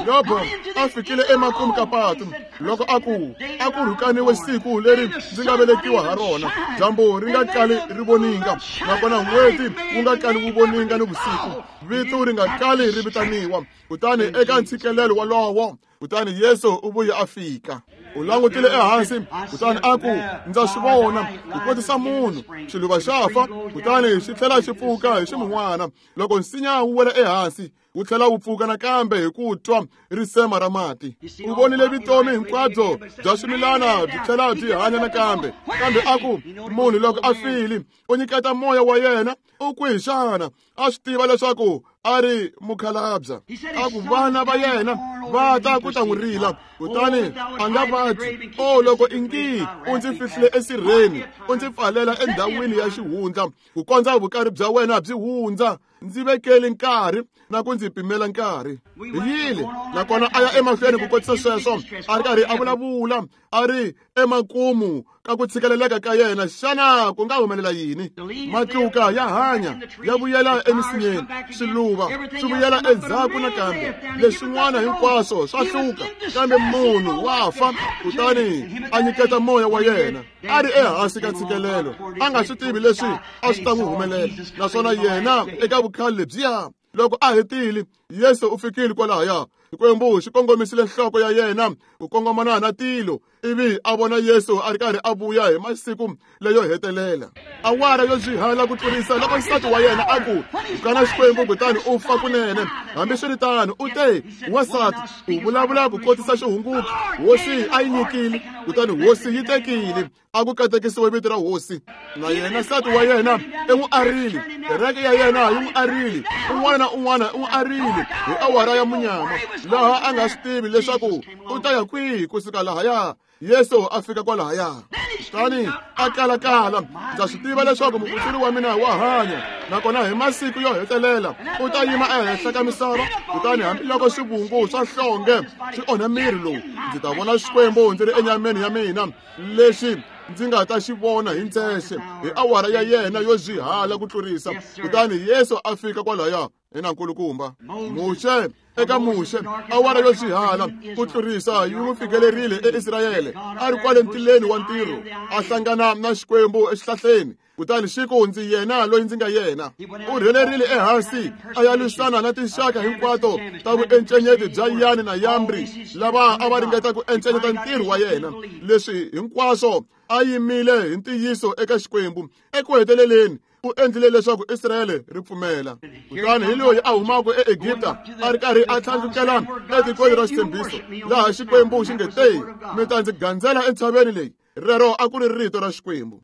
Yobo a fikile emakumu ka patu loko a ku, a ku rhukaniwe siku leri ndzi nga velekiwa ha rona, dyambu ri nga kali ri voninga, nakona n'weti wu nga kali wu voninga ni vusiku, vito ri nga kali ri vitaniwa. Kutani eka ntshikelelo wolowo, kutani Yesu u vuye a fika. U langutile ehansi, kutani a ku, ndza swi vona, ku kotisa munhu, xiluva xa fa, kutani xi tlhela xi pfuka hi ximun'wana. Loko nsinya wu wela ehansi, wu tlhela wu pfuka nakambe hi ku twa risema ra mati. U vonile vutomi hinkwabyo bya swimilana byi tlhela byi hanya nakambe. Kambe a ku, munhu loko a file, u nyiketa moya wa yena, u kwihi xana? A swi tiva leswaku a ri mukhalabye. A ku vana va yena va ta ku ta n'wi rila, kutani a nga vabyi. Oh, loko ingi u ndzi fihlile esirheni, u ndzi pfalela endhawini ya xihundla, ku kondza vukari bya wena byi hundza, ndzi vekeli nkarhi na ku ndzi pimela nkarhi. Hi yile, nakona a ya emahlweni ku kotisa sweswo, a ri karhi a vulavula, a ri emakumu ka ku tshikeleleka ka yena. Xana ku nga humelela yini? Matluka ya hanya, ya vuyela emisinyeni, swiluva swi vuyela endzhaku nakambe, leswin'wana hinkwaswo swa hluka, kambe munhu wa fa, kutani a nyiketa moya wa yena. A ri ehansi ka ntshikelelo, a nga swi tivi leswi a swi ta n'wi humelela, naswona yena eka vukhale lebyiya. Loko a hetile, Yesu u fikile kwalahaya. Xikwembu xi kongomisile nhloko ya yena ku kongomana na tilo, ivi a vona Yesu a ri karhi a vuya hi masiku leyo hetelela. Awara yo byihala ku tlurisa loko nsati wa yena a ku, rhukana Xikwembu kutani u fa kunene. Hambiswiritano, u te, wansati, u vulavula ku kotisa xihunguki. Hosi a yi nyikile, kutani hosi yi tekile. A ku katekisiwe vito ra hosi. Na yena nsati wa yena i n'wi arile, kereke ya yena yi n'wi arile, un'wana na un'wana u n'wi arile hi awara ya munyama, laha a nga swi tivi leswaku u ta ya kwihi kusuka lahaya. Yesu a fika kwalahaya, kutani a kalakala. Ndza swi tiva leswaku mukutsuri wa mina wa hanya, nakona hi masiku yo hetelela u ta yima ehenhla ka misava, kutani hambiloko swivungu swa hlonge swi onha miri lowu, ndzi ta vona Xikwembu ndzi ri enyameni ya mina, lexi ndzi nga ta xi vona hi ndzexe hi awara ya yena yo byihala ku tlurisa. Kutani Yesu a fika kwalaya. Ina nkulukumba, Muxe eka Muxe, awara yo byihala ku tlurisa yi n'wi fikelerile eIsrayele, a ri kwale ntileni wa ntirho, a hlangana na Xikwembu exihlahleni, kutani xi ku, ndzi yena loyi ndzi nga yena. U rhelerile ehansi a ya lwisana na tinxaka hinkwato ta vuencenyeti bya Yani na Yambri, lava a va ringeta ku encenyeta ntirho wa yena. Leswi hinkwaswo a yimile hi ntiyiso eka Xikwembu. Eku heteleleni u endlile leswaku Israyele ri pfumela. Kutani hi loyi a humaka eEgipta a ri karhi a tlhandlukela etikweni ra xitshembiso, laha Xikwembu xi nge te, mi ta ndzi gandzela entshaveni leyi. Rero a ku ri rito ra Xikwembu.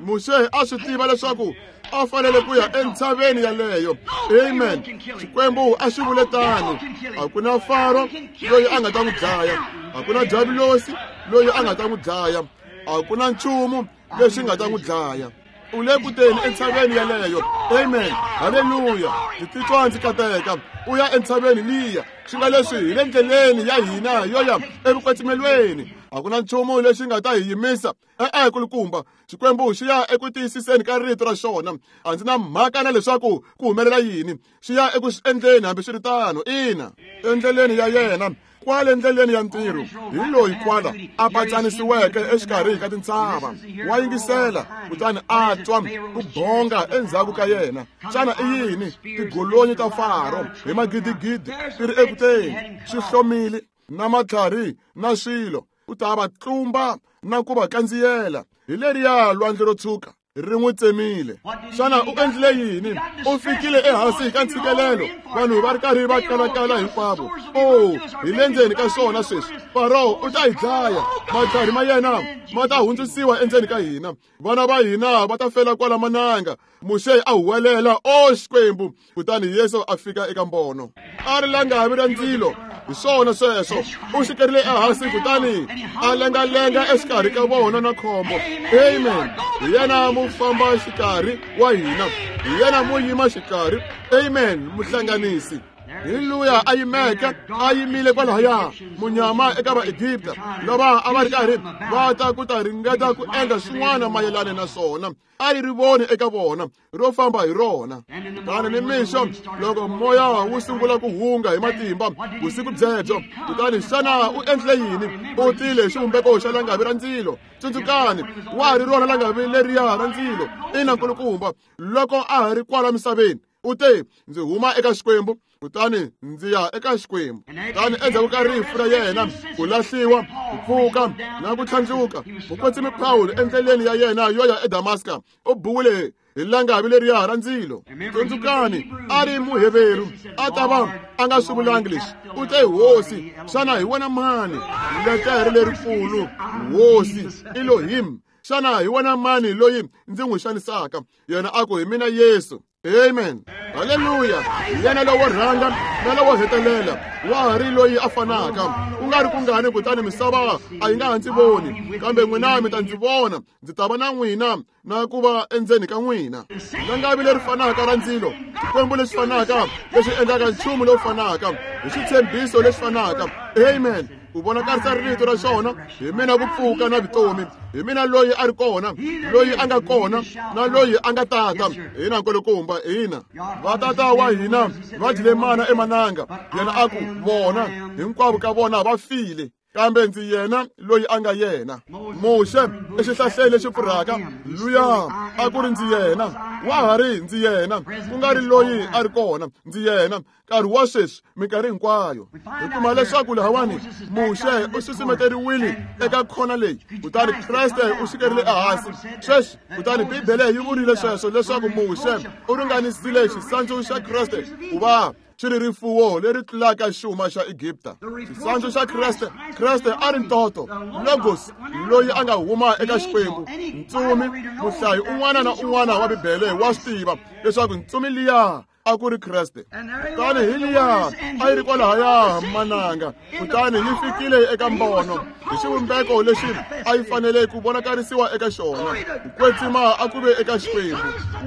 Muxe a swi tiva leswaku a fanele ku ya entshaveni yaleyo. Amen. Xikwembu a xi vule tano. A ku na Faro loyi a nga ta n'wi dlaya, a ku na Diabulosi loyi a nga ta n'wi dlaya, a ku na nchumu lexi nga ta n'wi dlaya. U le ku teni entshaveni yeleyo. Amen, halleluya. Ndzi titwa ndzi kateka. U ya entshaveni liya, swi nga leswi hi le ndleleni ya hina yo ya evukwetsimelweni. A ku na nchumu lexi nga ta hi yimisa. E-e, kulukumba, Xikwembu xi ya eku tiyisiseni ka rito ra xona. A ndzi na mhaka na leswaku ku humelela yini, xi ya eku swi endleni hambiswiritano. Ina, endleleni ya yena, kwale ndleleni ya ntirho, hi loyi kwala a patsanisiweke exikarhi ka tintshava. Wa yingisela, kutani a twa ku bonga endzhaku ka yena. Xana i yini? Tigolonyi ta Faro hi magidigidi ti ri ekuteni, swi hlomile na matlhari na swilo, u ta va tlumba na ku va kandziyela. Hi leriya lwandle ro tshuka ri n'wi tsemile. Xana u endlile yini? U fikile ehansi ka ntshikelelo, vanhu va ri karhi va kalakala hinkwavo. O, hi le ndzeni ka swona sweswi. Faro u ta hi dlaya, matlhari ma yena ma ta hundzisiwa endzeni ka hina, vana va hina va ta fela kwala mananga. Muxe a huwelela, o Xikwembu! Kutani Yesu a fika eka mbono, a ri langavi ra ndzilo. Hi swona sweswo, u xikerile ehansi kutani a lengalenga exikarhi ka vona na khombo. Amen. Hi yena mufamba xikarhi wa hina, hi yena muyima xikarhi. Amen, muhlanganisi. Hi luya a yimeke, a yimile kwalahaya, munyama eka Vaegipta lava a va ri karhi va ta ku ta ringeta ku endla swin'wana mayelana na swona. A ri rivoni eka vona ro famba hi rona. Kutani nimixo, loko moya wu sungula ku hunga hi matimba vusiku byebyo, kutani xana u endlile yini? U tile hi xivumbeko xa langavi ra ndzilo. Tsundzukani, wa ha ri rona langavi leriya ra ndzilo. Ina, nkulukumba. Loko a ha ri kwala misaveni, u te, ndzi huma eka Xikwembu, kutani ndzi ya eka Xikwembu. Kutani endzhaku ka rifu ra yena, ku lahliwa, ku pfuka na ku tlhandluka, mukwetsimi Pawulo endleleni ya yena yo ya eDamaska u buwile hi langavi leriya ra ndzilo. Tsundzukani, a ri Muheveru, a ta va a nga swi vulangi leswi. U te, Hosi, xana hi wena mani? Letere lerikulu, Hosi Elohim, xana hi wena mani loyi ndzi n'wi xanisaka? Yena a ku, hi mina Yesu. Amen, halleluya. Hi yena lowo rhanga na lowo hetelela, wa ha ri loyi a fanaka. Ku nga ri kungani, kutani misava a yi nga ha ndzi voni, kambe n'wina mi ta ndzi vona. Ndzi ta va na n'wina na ku va endzeni ka n'wina. Langavi leri fanaka ra ndzilo, Xikwembu lexi fanaka lexi endlaka nchumu lowu fanaka hi xitshembiso lexi fanaka. Amen. Ku vonakarisa rito ra xona, hi mina ku pfuka na vutomi, hi mina loyi a ri kona, loyi a nga kona na loyi a nga tata. Hina nkulukumba, hina vatata wa hina va dyile mana emananga, yena a ku, vona hinkwavo ka vona va file, kambe ndzi yena loyi a nga yena. Muxe exihlahleni lexi pfurhaka, luya a ku ri ndzi yena, wa ha ri ndzi yena, ku nga ri loyi a ri kona, ndzi yena nkarhi wa sweswi, minkarhi hinkwayo. Hi kuma leswaku lahawani Muxe u susumeteriwile eka khona leyi, kutani Kreste u xikerile ehansi sweswi. Kutani Bibele yi vurile sweswo leswaku Muxe u ringanisile xisandzu xa Kreste ku va xi ri rifuwo leri tlulaka xuma xa Egipta. Xisandzu xa Kreste, Kreste a ri ntoto, Logos, loyi a nga huma eka Xikwembu. Ntsumi, muhlayi un'wana na un'wana wa Bibele wa swi tiva leswaku ntsumi liya a ku ri Kreste. Kutani hi liya a yi ri kwalahaya mananga, kutani yi fikile eka mbono hi xivumbeko lexi a yi fanele ku vonakarisiwa eka xona. Ku kwetsima a ku ve eka Xikwembu.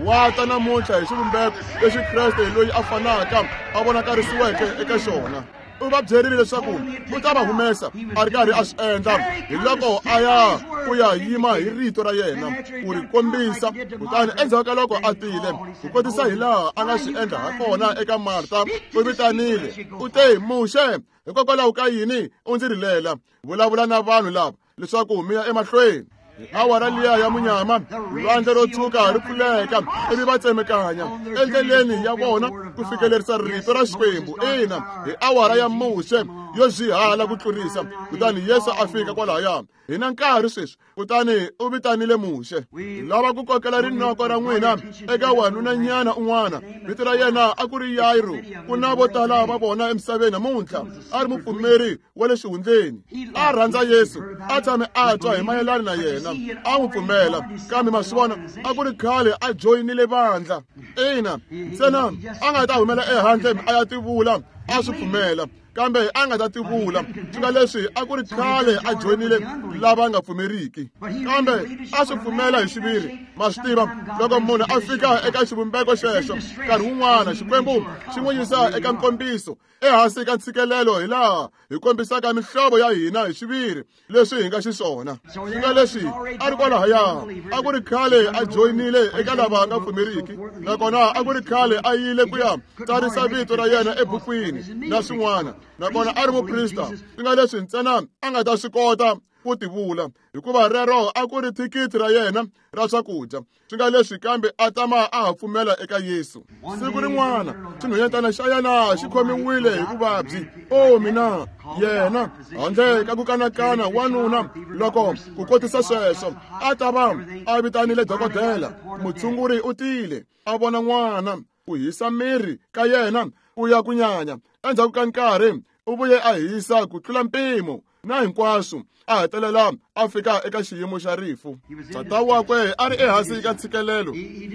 Wa ta namuntlha hi xivumbeko lexi Kreste loyi a fanaka a vonakarisiweke eka xona. U va byerile leswaku u ta va humesa, a ri karhi a swi endla hi loko a ya ku ya yima hi rito ra yena ku ri kombisa. Kutani endzhaku ka loko a tile ku kotisa hi laha a nga swi endla ha kona eka Marta, u vitanile, u te, Muxe, hikokwalaho ka yini u ndzi rilela? Vulavula na vanhu lava leswaku mi ya emahlweni. Hi awara liya ya munyama, lwandle ro tshuka ri pfuleka, ivi va tsemekanya endleleni ya vona ku fikelerisa rito ra Xikwembu. Ina, hi awara ya Muxe yo zwihala ku tlurisa, kutani Yesu a fika kwalahaya. Hi na nkarhi sweswi, kutani u vitanile Muxe. Hi lava ku kokela rinoko ra n'wina eka wanunanyana un'wana. Vito ra yena a ku ri Yairo. Ku na vo tala va vona emisaveni namuntlha. A ri mupfumeri wa le xihundleni, a rhandza Yesu, a tshame a twa hi mayelana na yena, a n'wi pfumela. Kambe ma swi vona, a ku ri khale a joyinile vandla. Ina, ntsena a nga ta humela ehandle a ya tivula a swi pfumela. Kambe a nga ta tivula swi nga leswi a ku ri khale a joyinile lava nga pfumeriki, kambe a swi pfumela hi xiviri. Ma swi tiva, loko munhu a fika eka xivumbeko xexo nkarhi wun'wana Xikwembu xi n'wi yisa eka nkombiso ehansi ka ntshikelelo, hi laha hi kombisaka mihlovo ya hina hi xiviri leswi hi nga xiswona. Swi nga leswi a ri kwalahaya a ku ri khale a joyinile eka lava nga pfumeriki, nakona a ku ri khale a yile ku ya tsarisa vito ra yena ebukwini na swin'wana, nakona a ri muprista. Swi nga leswi ntsena a nga ta swi kota ku tivula, hikuva rero a ku ri thikithi ra yena ra swakudya. Swi nga leswi kambe a tama a ha pfumela eka Yesu. Siku rin'wana xinhwanyetana xa yena xi khomiwile hi vuvabyi. O mina, yena handle ka ku kanakana wanuna loko ku kotisa sweswo a ta va a vitanile dokodela. Mutshunguri u tile a vona n'wana ku hisa miri ka yena ku ya ku nyanya. Endzhaku ka nkarhi u vuye a hisa ku tlula mpimo na hinkwaswo, a hetelela a fika eka xiyimo xa rifu. Tata wakwe a ri ehansi ka ntshikelelo,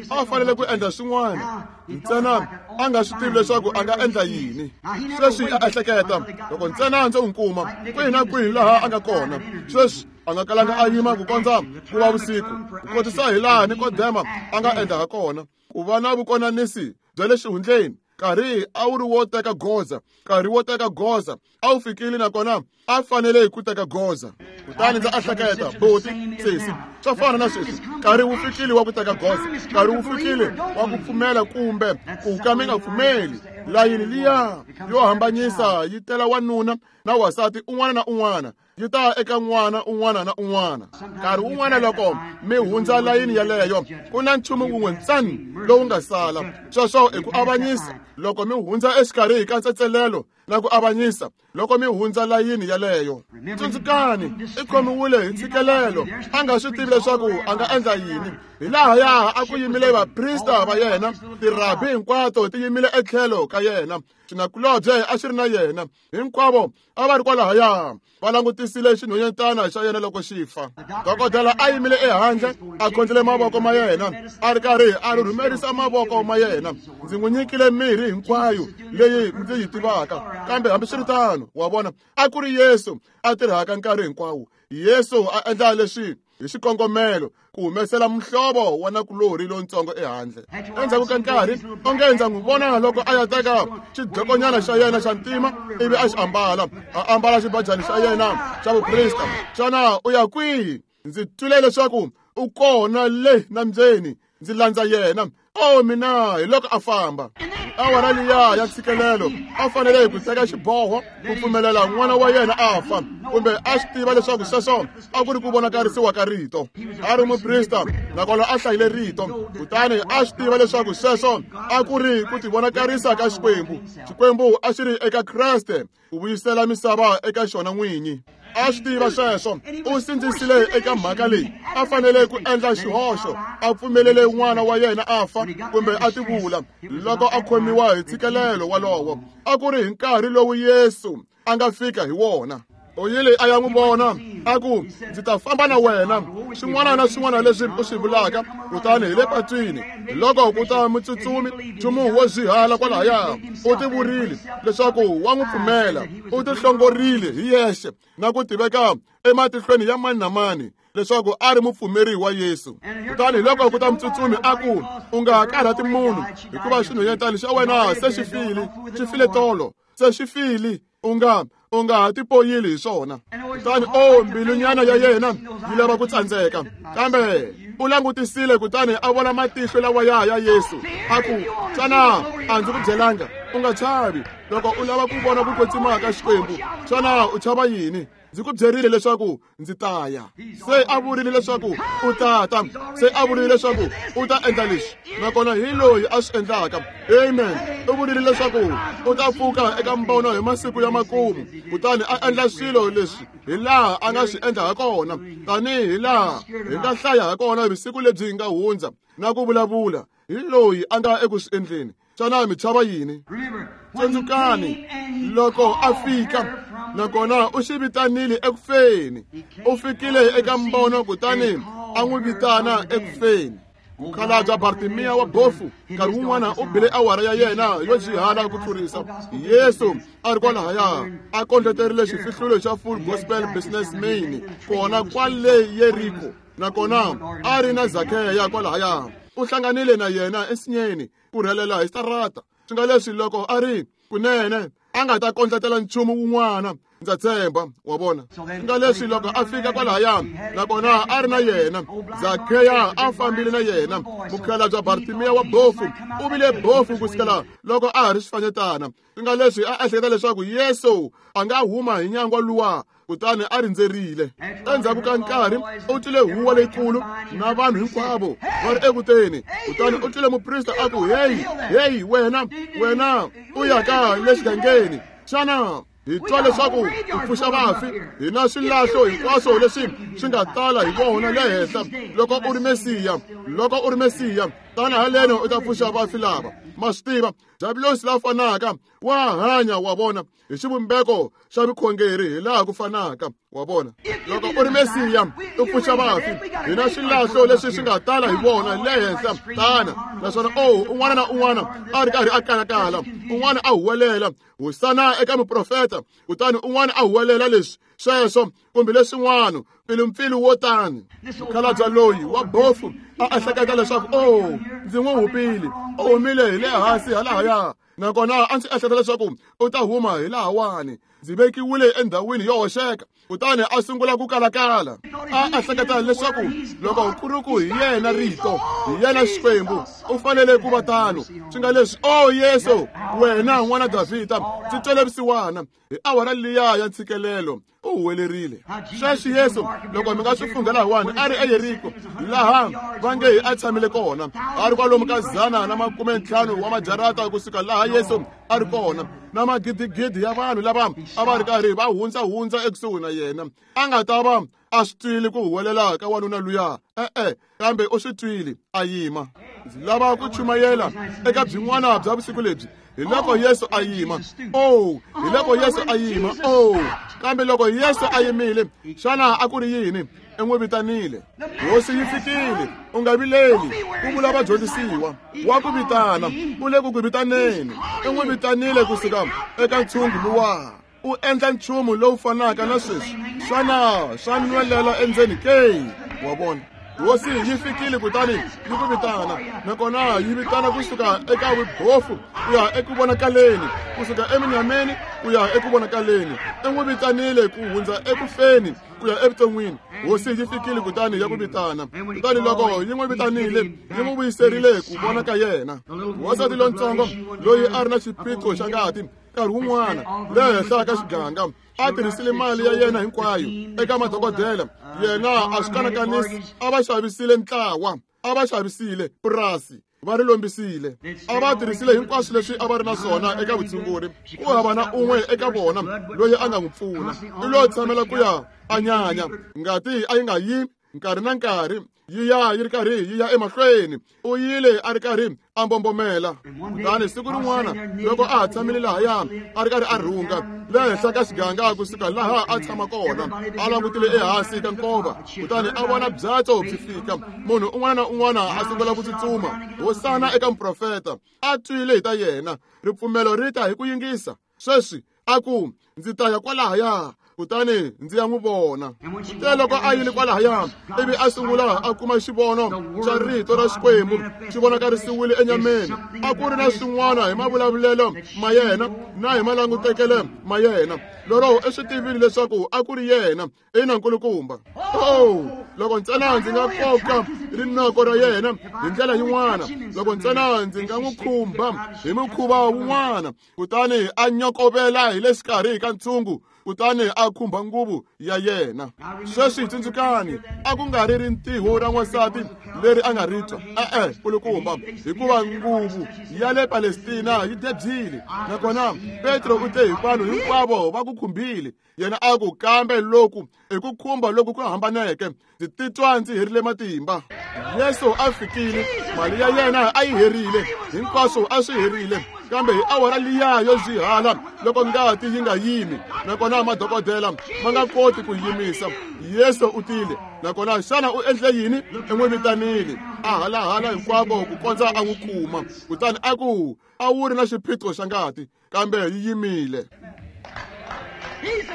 a fanele ku endla swin'wana ntsena a nga swi tivi leswaku a nga endla yini. Sweswi a ehleketa, loko ntsena ndzo n'wi kuma kwihi na kwihi laha a nga kona. Sweswi a nga kalanga a yima ku kondza ku va vusiku, ku kotisa hi laha Nikodema a nga endla ha kona, ku va na vukonanisi bya le xihundleni. Nkarhi a wu ri wo teka goza, nkarhi wo teka goza a wu fikile, nakona a fanele ku teka goza. Kutani ndza ehleketa, buti, sesi, swa fana na sweswi, nkarhi wu fikile wa ku teka goza, nkarhi wu fikile wa ku pfumela kumbe ku ka mi nga pfumeli. Layini liya yo hambanyisa yi tela wanuna na wansati un'wana na un'wana, yi ta eka n'wana un'wana na un'wana. Nkarhi wun'wana loko mi hundza layini yaleyo, ku na nchumu wun'we ntsena lowu nga sala, sweswo i ku avanyisa. Loko mi hundza exikarhi ka ntsetselelo na ku avanyisa, loko mi hundza layini yaleyo, tsundzukani, i khomiwile hi ntshikelelo, a nga swi tivi leswaku a nga endla yini. Hi lahaya a ku yimile vaprista va yena, tirabi hinkwato ti yimile etlhelo ka yena, xinakulobye a xi ri na yena, hinkwavo a va ri kwalahaya va langutisile xinhwanyetana xa yena loko xi fa. Dokodela a yimile ehandle a khondlele mavoko ma yena, a ri karhi a rhurhumerisa mavoko ma yena. Ndzi n'wi nyikile mirhi hinkwayo leyi ndzi yi tivaka, kambe hambiswiritano, wa vona, a ku ri Yesu a tirhaka nkarhi hinkwawo. Yesu a endla leswi hi xikongomelo ku humesela muhlovo wa nakulorhi lontsongo ehandle. Endzhaku ka nkarhi onge ndza n'wi vona loko a ya teka xidlokonyana xa yena xa ntima ivi a xi ambala, a ambala xibajani xa yena xa vuprista. Xana u ya kwihi? Ndzi twile leswaku u kona le nambyeni, ndzi landza yena. O mina, hi loko a famba. Awara liya ya ntshikelelo a fanele ku teka xiboho ku pfumelela n'wana wa yena a fa, kumbe a swi tiva leswaku sweswo a ku ri ku vonakarisiwa ka rito. A ri muprista nakona a hlayile rito, kutani a swi tiva leswaku sweswo a ku ri ku tivonakarisa ka Xikwembu. Xikwembu a xi ri eka Kreste ku vuyisela misava eka xona n'winyi. A swi tiva sweswo, u sindzisile eka mhaka leyi. A fanele ku endla xihoxo, a pfumelele n'wana wa yena a fa kumbe a tivula loko a khomiwa hi ntshikelelo walowo. A ku ri hi nkarhi lowu Yesu a nga fika hi wona. U yile a ya n'wi vona, a ku, ndzi ta famba na wena swin'wana na swin'wana leswi u swi vulaka. Kutani hi le patwini loko ku ta mutsutsumi, nchumu wo zwihala kwalahaya, u tivurile leswaku wa n'wi pfumela. U tihlongorile hi yexe na ku tiveka ematihlweni ya mani na mani leswaku a ri mupfumeri wa Yesu. Kutani loko ku ta mutsutsumi a ku, u nga karhati munhu, hikuva xinhwanyetana xa wena se xi file, xi file tolo, se xi file, u nga ha tipoyili hi swona. Kutani o mbilunyana ya yena yi lava ku tsandzeka, kambe u langutisile kutani a vona matihlo lawa ya Yesu, a ku, xana a ndzi ku byelanga, u nga chavi? Loko u lava ku vona ku kwetsima ka Xikwembu, xana u chava yini? Ndzi ku byerile leswaku ndzi ta ya. Se a vurile leswaku u ta ta, se a vurile leswaku u ta endla leswi, nakona hi loyi a swi endlaka. Amen. U vurile leswaku u ta pfuka eka mbono hi masiku ya makumu, kutani a endla swilo leswi hi laha a nga swi endla ha kona, tanihi laha hi nga hlaya ha kona vusiku lebyi nga hundza na ku vulavula hi loyi a nga eku swi endleni. Xana mi chava yini? Tsundzukani, loko a fika nakona u xi vitanile ekufeni, u fikile eka mbono kutani a n'wi vitana ekufeni. Mukhalabye Bartimiya wa bofu nkarhi wun'wana u bile awara ya yena yo jihala ku tlurisa. Yesu a ri kwalahaya a kondleterile xifihlulo xa Full Gospel Businessman kona kwale Yeriko, nakona a ri na Zakheya kwalahaya. U hlanganile na yena ensinyeni ku rhelela hi starata. Swi nga leswi loko a ri kunene a nga ta kondletela nchumu wun'wana, ndza tshemba, wa vona. Swi nga leswi loko a fika kwalahaya, nakona a ri na yena Zakheya a fambile na yena. Mukhalabye Bartimiya wa bofu u vile bofu ku sukela loko a ha ri xifanyetana. Swi nga leswi a ehleketa leswaku Yesu a nga huma hi nyangwa luwa, kutani a rindzerile. Endzhaku ka nkarhi u twile huwa leyikulu na vanhu hinkwavo va ri ekuteni, kutani u twile muprista a ku, "Heyi, heyi, wena, wena u ya ka le xigangeni, xana hi twa leswaku u pfuxa vafi? Hi na swilahlo hinkwaswo leswi swi nga tala hi vona le henhla. Loko u ri Mesiya, loko u ri Mesiya, tana haleno u ta pfuxa vafi lava." Ma swi tiva, Diabulosi la fanaka wa hanya, wa vona, hi xivumbeko xa vukhongeri hi laha ku fanaka, wa vona. Loko u ri Mesiya u pfuxa vafi, hi na swilahlo leswi swi nga tala hi vona le henhla, tana. Naswona o un'wana na un'wana a ri karhi a kalakala, un'wana a huwelela hosana eka muprofeta, kutani un'wana a huwelela leswi sweswo kumbe leswin'wana, mpfilumpfilu wo tani. Mukhalabye loyi wa bofu a ehleketa leswaku, "O, ndzi n'wi hupile, u humile hi le hansi halahaya, nakona a ndzi ehleketa leswaku u ta huma hi lahawani, ndzi vekiwile endhawini yo hoxeka." Kutani a sungula ku kalakala, a ehleketa leswaku loko ku ri ku hi yena Rito, hi yena Xikwembu, u fanele ku va tano. Swi nga leswi, "O Yesu, wena n'wana Davhida, ndzi twele vusiwana." Hi awara liya ya ntshikelelo u huwelerile. Sweswi Yesu, loko mi nga swi funghela wani, a ri eYeriko, laha va nge hi a tshamile kona, a ri kwalomu ka 150 wa majarata kusuka laha Yesu a ri kona, na magidigidi ya vanhu lava a va ri karhi va hundza ekusuhi na yena. A nga ta va a swi twile ku huwelela ka wanuna luya, e-e, kambe u swi twile, a yima. Ndzi lava ku chumayela eka byin'wana bya vusiku lebyi. Hi loko Yesu a yima. Oh, hi loko Yesu a yima. Oh, kambe loko Yesu a yimile, xana a ku ri yini? U n'wi vitanile. Hosi yi fikile, u nga vileli, ku vula vadyondzisiwa. Wa ku vitana, u le ku ku vitaneni. U n'wi vitanile kusuka eka ntshungu luwa. U endla nchumu lowu fanaka na sweswi. Xana swa nwelela endzeni ke? Wa vona, Hosi yi fikile kutani yi ku vitana, nakona yi vitana kusuka eka vubofu ku ya eku vonakaleni, kusuka eminyameni ku ya eku vonakaleni. I n'wi vitanile ku hundza ekufeni ku ya evuton'wini. Hosi yi fikile kutani ya ku vitana, kutani loko yi n'wi vitanile, yi n'wi vuyiserile ku vona ka yena. Wansati lontsongo loyi a ri na xiphiqo xa ngati nkarhi wun'wana le henhla ka xiganga, a tirhisile mali ya yena hinkwayo eka madokodela. Yena a swi kanakanisi, a va xavisile ntlawa, a va xavisile purasi, va ri lombisile, a va tirhisile hinkwaswo leswi a va ri na swona eka vutshunguri. Ku hava na un'we eka vona loyi a nga n'wi pfuna. I lo tshamela ku ya a nyanya, ngati a yi nga yimi, nkarhi na nkarhi yi ya yi ri karhi yi ya emahlweni. U yile a ri karhi a mbombomela. Kutani siku rin'wana loko a ha tshamile lahaya a ri karhi a rhunga le henhla ka xiganga kusuka laha a tshama kona, a langutile ehansi ka nkova, kutani a vona byatso byi fika. Munhu un'wana na un'wana a sungula ku tsutsuma, hosana eka muprofeta. A twile hi ta yena. Ripfumelo ri ta hi ku yingisa. Sweswi a ku, "Ndzi ta ya kwalahaya kutani ndzi ya n'wi vona." Kute loko a yile kwalahaya, ivi a sungula a kuma xivono xa Rito ra Xikwembu xi vonakarisiwile enyameni. A ku ri na swin'wana hi mavulavulelo ma yena na hi malangutekele ma yena, lero i swi tivile leswaku a ku ri yena. Ina, nkulukumba. Oh, loko ntsena ndzi nga koka rinoko ra yena hi ndlela yin'wana, loko ntsena ndzi nga n'wi khumba hi mukhuva wun'wana. Kutani a nyokovela hi le xikarhi ka ntshungu, kutani a khumba nguvu ya yena. Sweswi tsundzukani, a ku nga ri rintiho ra n'wansati leri a nga ri twa, e-e, nkulukumba, hikuva nguvu ya le Palestina yi debyile. Nakona Petro u te, vanhu hinkwavo va ku khumbile. Yena a ku, "Kambe loku i ku khumba loku ku hambaneke, ndzi titwa ndzi herile matimba." Yesu a fikile, mali ya yena a yi herile, Hinkwaswo a swi herile, kambe hi awara liya yo byihala loko ngati yi nga yimi, nakona madokodela ma nga koti ku yimisa, Yesu u tile. Nakona xana u endle yini? I n'wi vitanile a halahala hinkwako ku kondza a n'wi kuma, kutani a ku a wu ri na xiphiqo xa ngati, kambe yi yimile.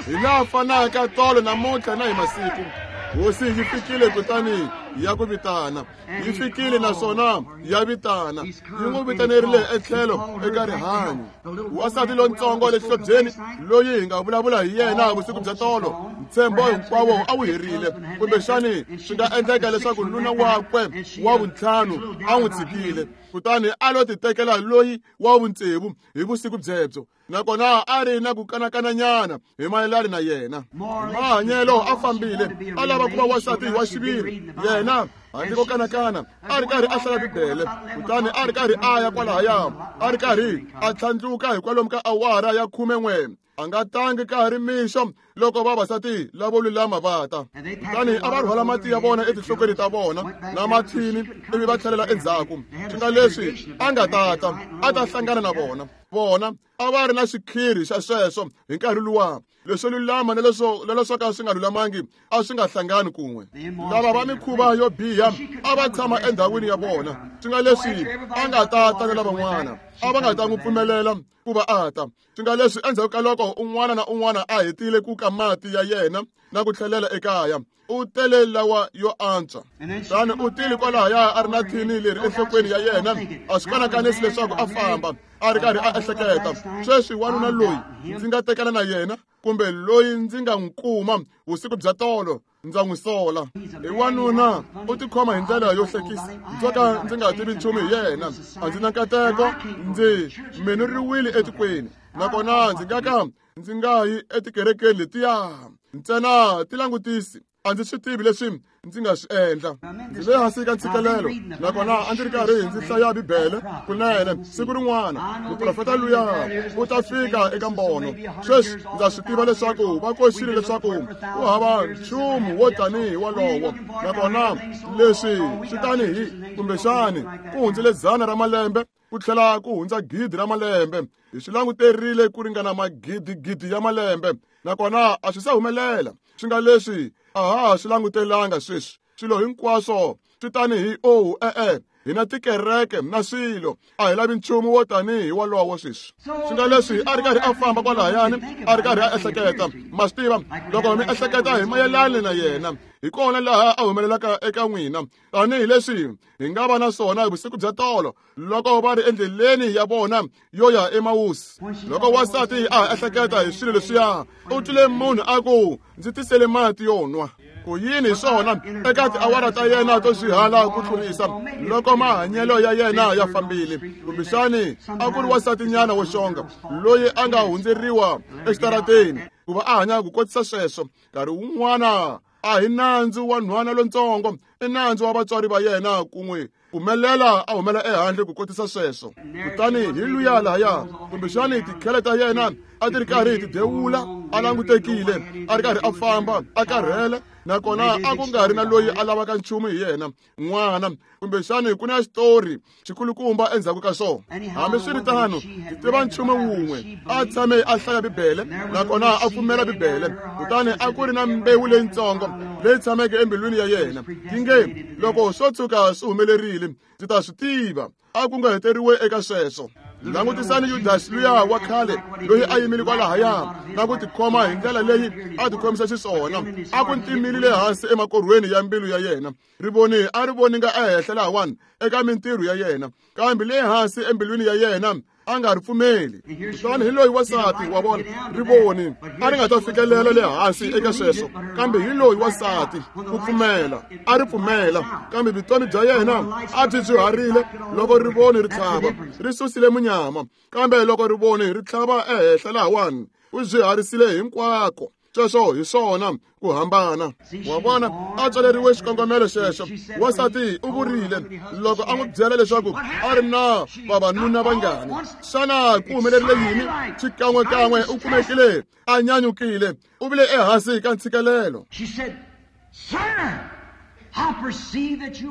Hi laha fanaka tolo namuntlha na hi masiku. Hosi yi fikile kutani ya ku vitana, yi fikile naswona ya vitana. Yi n'wi vitanerile etlhelo eka rihanyo. Wansati lontsongo le xihlobyeni loyi hi nga vulavula hi yena vusiku bya tolo, ntshembo hinkwawo a wu herile. Kumbexani swi nga endleka leswaku nuna wakwe wa vuntlhanu a n'wi tshikile, kutani a lo titekela loyi wa vutsevu hi vusiku byebyo, nakona a ri na ku kanakananyana hi mayelana na yena. Mahanyelo a fambile, a lava ku va wansati wa xiviri. Yena handle ko kanakana a ri karhi a hlaya Bibele, kutani a ri karhi a ya kwalahaya, a ri karhi a tlhandluka hi kwalomu ka awara ya 11. A nga tangi ka ha ri mixo loko vavasati lavo lulama va ta, kutani a va rhwala mati ya vona etinhlokweni ta vona na mathini, ivi va tlhelela endzhaku. Swi nga leswi a nga tata a ta hlangana na vona. Vona a va ri na xikhiri xa sweswo hi nkarhi luwa. Leswo lulama na leswo ka swi nga lulamangi a swi nga hlangani kun'we. Lava va mikhuva yo biha a va tshama endhawini ya vona. Swi nga leswi a nga tata na lavan'wana a va nga ta n'wi pfumelela ku va a ta. Swi nga leswi endzhaku ka loko un'wana na un'wana a hetile ku ka mati ya yena na ku tlhelela ekaya, u tele lawa yo antswa. Kutani u tile kwalahaya a ri na thini leri enhlokweni ya yena. A swi kanakanisi leswaku a famba a ri karhi a ehleketa, sweswi wanuna loyi ndzi nga tekana na yena, kumbe loyi ndzi nga n'wi kuma vusiku bya tolo, ndza n'wi sola. I wanuna u tikhoma hi ndlela yo hlekisa, ndzo ka ndzi nga tivi nchumu hi yena. A ndzi na nkateko, ndzi menuriwile etikweni, nakona ndzi nga ka ndzi nga yi etikerekeni letiya. Ntsena ti langutisi, a ndzi swi tivi leswi ndzi nga swi endla. Ndzi le hansi ka ntshikelelo, nakona a ndzi ri karhi ndzi hlaya Bibele kunene. Siku rin'wana muprofeta luya u ta fika eka mbono. Sweswi ndza swi tiva leswaku va koxile leswaku ku hava nchumu wo tanihi wolowo, nakona leswi swi tanihi kumbexani ku hundzile 100 ra malembe, ku tlhela ku hundza 1000 ra malembe. Hi swi languterile ku ringana magidigidi ya malembe, nakona a swi se humelela. Swi nga leswi a ha ha swi langutelanga sweswi. Swilo hinkwaswo swi tanihi e-e, hi na tikereke na swilo, a hi lavi nchumu wo tanihi wolowo sweswi. Swi nga leswi a ri karhi a famba kwalahayani, a ri karhi a ehleketa. Ma swi tiva, loko mi ehleketa hi mayelana na yena, hi kona laha a humelelaka eka n'wina, tanihileswi hi nga va na swona hi vusiku bya tolo loko va ri endleleni ya vona yo ya eMawusi. Loko wansati a ehleketa hi swilo leswiya, u twile munhu a ku, ndzi tisele mati yo nwa. Ku yini hi swona eka tiawara ta yena to swihala ku tlurisa loko mahanyelo ya yena ya fambile? Kumbexani a ku ri wansatinyana wo xonga loyi a nga hundzeriwa exitarateni ku va a hanya ku kotisa sweswo. Nkarhi wun'wana a hi nandzu wa nhwana lontsongo, i nandzu wa vatswari va yena ku n'wi pfumelela a humela ehandle ku kotisa sweswo. Kutani hi luya lahaya, kumbexani tikhele ta yena a ti ri karhi ti dewula, a langutekile a ri karhi a famba a karhele, nakona a ku nga ri na loyi a lavaka nchumu hi yena n'wana. Kumbexani ku na xitori xikulukumba endzhaku ka swona. Hambiswiritano, ndzi tiva nchumu wun'we, a tshame a hlaya Bibele, nakona a pfumela Bibele. Kutani a ku ri na mbewu leyitsongo leyi tshameke embilwini ya yena, yi nge, loko swo tshuka swi humelerile, ndzi ta swi tiva. A ku nga heteriwe eka sweswo. Langutisani Yudasi luya wa khale loyi a yimile kwalahaya na ku tikhoma hi ndlela leyi a tikhomisa xiswona, a ku ntimile hansi emakorhweni ya mbilu ya yena. Rivoni a ri voninga ehenhla lahawani eka mintirho ya yena, kambe le hansi embilwini ya yena a nga ri pfumeli. Kutani hi loyi wansati wa vona, rivoni a ri nga ta fikelela le hansi eka sweswo, kambe hi loyi wansati ku pfumela, a ri pfumela, kambe vutomi bya yena a byi dzwiharile loko rivoni ri tlhava, ri susile munyama. Kambe loko rivoni ri tlhava ehenhla lahawani, u dzwiharisile hinkwako. Sweswo hi swona ku hambana. Wa vona, a tswaleriwe xikongomelo xexo. Wansati u vurile loko a n'wi byela leswaku a ri na vavanuna vangani. Xana ku humelerile yini? Xikan'wekan'we u kumekile a nyanyukile, u vile ehansi ka ntshikelelo.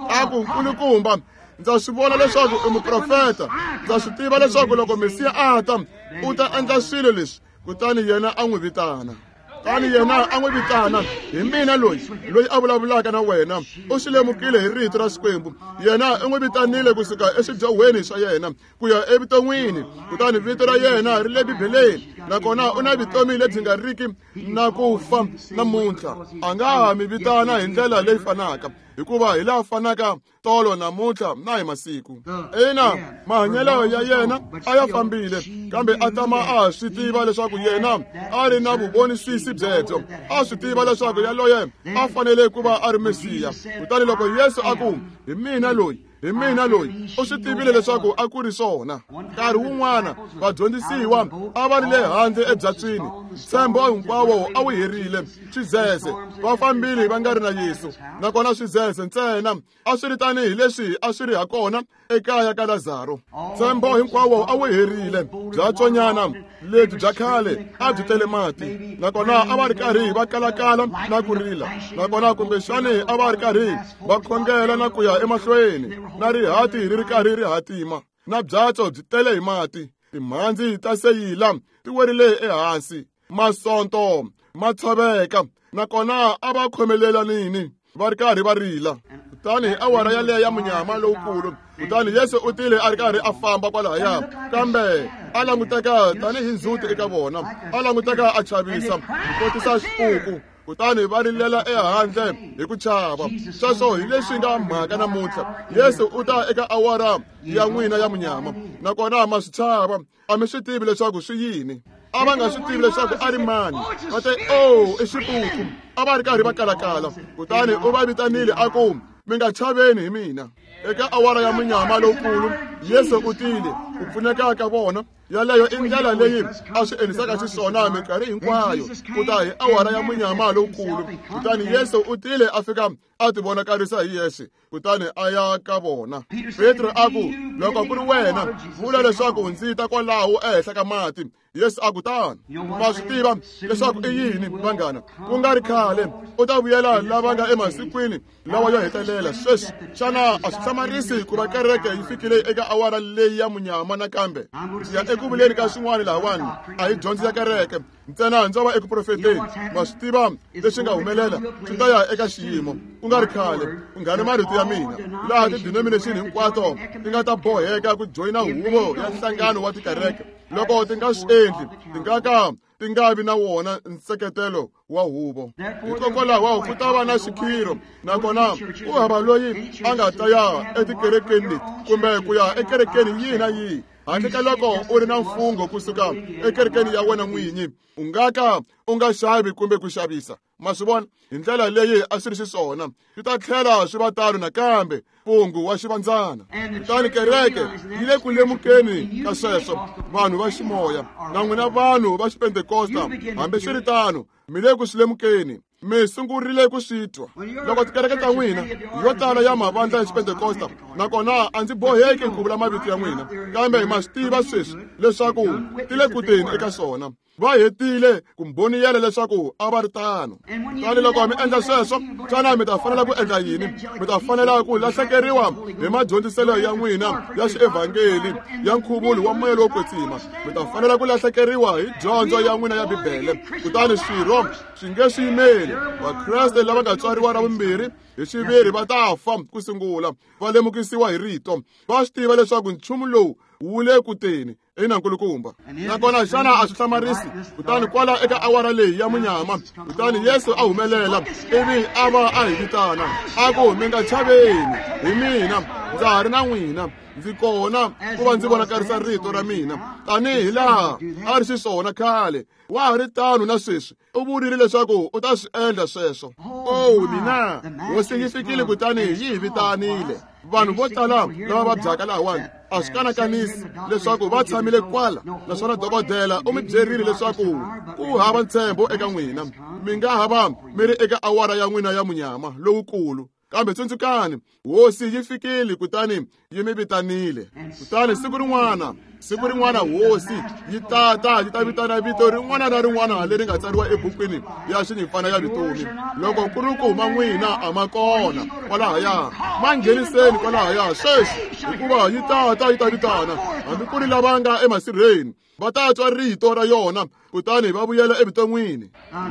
A ku, nkulukumba, Ndza swi vona leswaku i muprofeta. Ndza swi tiva leswaku loko Mesiya a ta, u ta endla swilo leswi. Kutani yena a n'wi vitana. Kutani yena a n'wi vitana, hi mina loyi, loyi a vulavulaka na wena. U swi lemukile hi rito ra Xikwembu. Yena u n'wi vitanile kusuka eswidyohweni swa yena ku ya evuton'wini. Kutani vito ra yena ri le Bibeleni, nakona u na vutomi lebyi nga riki na ku fa namuntlha. A nga ha mi vitana hi ndlela leyi fanaka, hikuva hi laha fanaka tolo namuntlha na hi masiku. Ina, mahanyelo ya yena a ya fambile, kambe a tama a swi tiva leswaku yena a ri na vuvonisisi byebyo. A swi tiva leswaku yaloye a fanele ku va a ri Mesiya. Kutani loko Yesu a ku, hi mina loyi, hi mina loyi, u swi tivile leswaku a ku ri swona. Nkarhi wun'wana vadyondzisiwa a va ri le handle ebyatswini, ntshembo hinkwawo a wu herile. Swidzedze va fambile va nga ri na Yesu, nakona swidzedze ntsena a swi ri tanihi leswi a swi ri ha kona ekaya ka Lazaro. Ntshembo hinkwawo a wu herile. Byatsonyana lebyi bya khale a byi tele mati, nakona a va ri karhi va kalakala na ku rila, nakona kumbexani a va ri karhi va khongela na ku ya emahlweni, na rihati ri ri karhi ri hatima, na byatso byi tele hi mati. Timhandzi ta seyila ti werile ehansi, masonto ma tshoveka, nakona a va khomelelanini va ri karhi va rila. Kutani hi awara yaleyo ya munyama lowukulu, kutani Yesu u tile a ri karhi a famba kwalahaya, kambe a languteka tanihi ndzhuti eka vona, a languteka a chavisa ku kotisa xipuku. Kutani va rilela ehandle hi ku chava. Sweswo hi leswi nga mhaka namuntlha. Yesu u ta eka awara ya n'wina ya munyama, nakona ma swi chava. A mi swi tivi leswaku swi yini. A va nga swi tivi leswaku a ri mani. Va te, oh, i xipuku. A va ri karhi va kalakala. Kutani u va vitanile a ku, mi nga chaveni hi mina. Eka awara ya munyama lowukulu, Yesu u tile ku pfuneka ka vona. Yaleyo i ndlela leyi a swi endlisaka xiswona minkarhi hinkwayo, ku ta hi awara ya munyama lowukulu. Kutani Yesu u tile a fika a ti vonakarisa hi yexe, kutani a ya ka vona. Petro a ku, loko ku ri wena, vula leswaku ndzi ta kwalaho ehenhla ka mati. Yesu a ku, tano. Ma swi tiva leswaku i yini, vanghana? Ku nga ri khale u ta vuyela lava nga emasikwini lawa yo hetelela. Sweswi, xana a swi hlamarisi ku va kereke yi fikile eka awara leyi ya munyama nakambe? Ndzi ya eku vuleni ka swin'wana lahawani, a hi dyondzo ya kereke ntsena, ndzo va eku profeteni. Ma swi tiva leswi nga humelela, swi ta ya eka xiyimo ku nga ri khale. Ku nghana marito ya mina, laha ti-denomination hinkwato ti nga ta boheka ku joyina huvo ya nhlangano wa tikereke. Loko ti nga swi endli, ti nga ka ti nga vi na wona nseketelo wa huvo. Hikokwalaho ku ta va na xikhiro, nakona ku hava loyi a nga ta ya etikerekeni leti kumbe ku ya ekerekeni yihi na yihi handle ka loko u ri na mfungho kusuka ekerekeni ya wena n'winyi. U nga ka u nga xavi kumbe ku xavisa. Ma swi vona hi ndlela leyi a swi ri xiswona, swi ta tlhela swi va tano nakambe, mfungho wa xivandzana. Kutani kereke yi le ku lemukeni ka sweswo. Vanhu va ximoya na n'wina vanhu va xipentekosta, hambiswiritano mi le ku swi lemukeni. Mi sungurile ku swi twa loko tikereke ta n'wina yo tala ya mavandla ya xipentekosta, nakona a ndzi boheki ku vula mavito ya n'wina, kambe ma swi tiva sweswi leswaku ti le ku teni eka swona. Va hetile ku mboniyela leswaku a va ri tano. Kutani loko mi endla sweswo, xana mi ta fanela ku endla yini? Mi ta fanela ku lahlekeriwa hi madyondziselo ya n'wina ya xievhangeli ya nkhuvulo wa moya lowo kwetsima. Mi ta fanela ku lahlekeriwa hi dyondzo ya n'wina ya Bibele. Kutani swirho swi nge swi yimeli. Vakreste lava nga tswariwa ra vumbirhi hi xiviri va ta fa ku sungula, va lemukisiwa hi rito. Va swi tiva leswaku nchumu lowu wu le ku teni. Ina, nkulukumba. Nakona xana a swi hlamarisi? Kutani kwala eka awara leyi ya munyama, kutani Yesu a humelela ivi a va a hi vitana, a ku, mi nga chaveni, hi mina, ndza ha ri na n'wina, ndzi kona ku va ndzi vonakarisa rito ra mina tanihi laha a ri xiswona khale, wa ha ri tano na sweswi. U vurile leswaku u ta swi endla sweswo. Oh, mina, Hosi yi fikile kutani yi hi vitanile. Vanhu vo tala lava vabyaka lahawani a swi kanakanisi leswaku va tshamile kwala, naswona dokodela u mi byerile leswaku ku hava ntshembo eka n'wina. Mi nga ha va mi ri eka awara ya n'wina ya munyama lowukulu, kambe tsundzukani, Hosi yi fikile kutani yi mi vitanile. Kutani siku rin'wana Siku rin'wana hosi yi tata yi ta vitana vito rin'wana na rin'wana leri nga tsariwa ebukwini ya xinyimpfana ya vutomi. Loko ku ri ku huma n'wina a ma kona kwalahaya, ma ngheniseni kwalahaya sweswi, hikuva yi tata yi ta vitana hambi ku ri lava nga emasirheni va ta twa rito ra yona kutani va vuyela evuton'wini.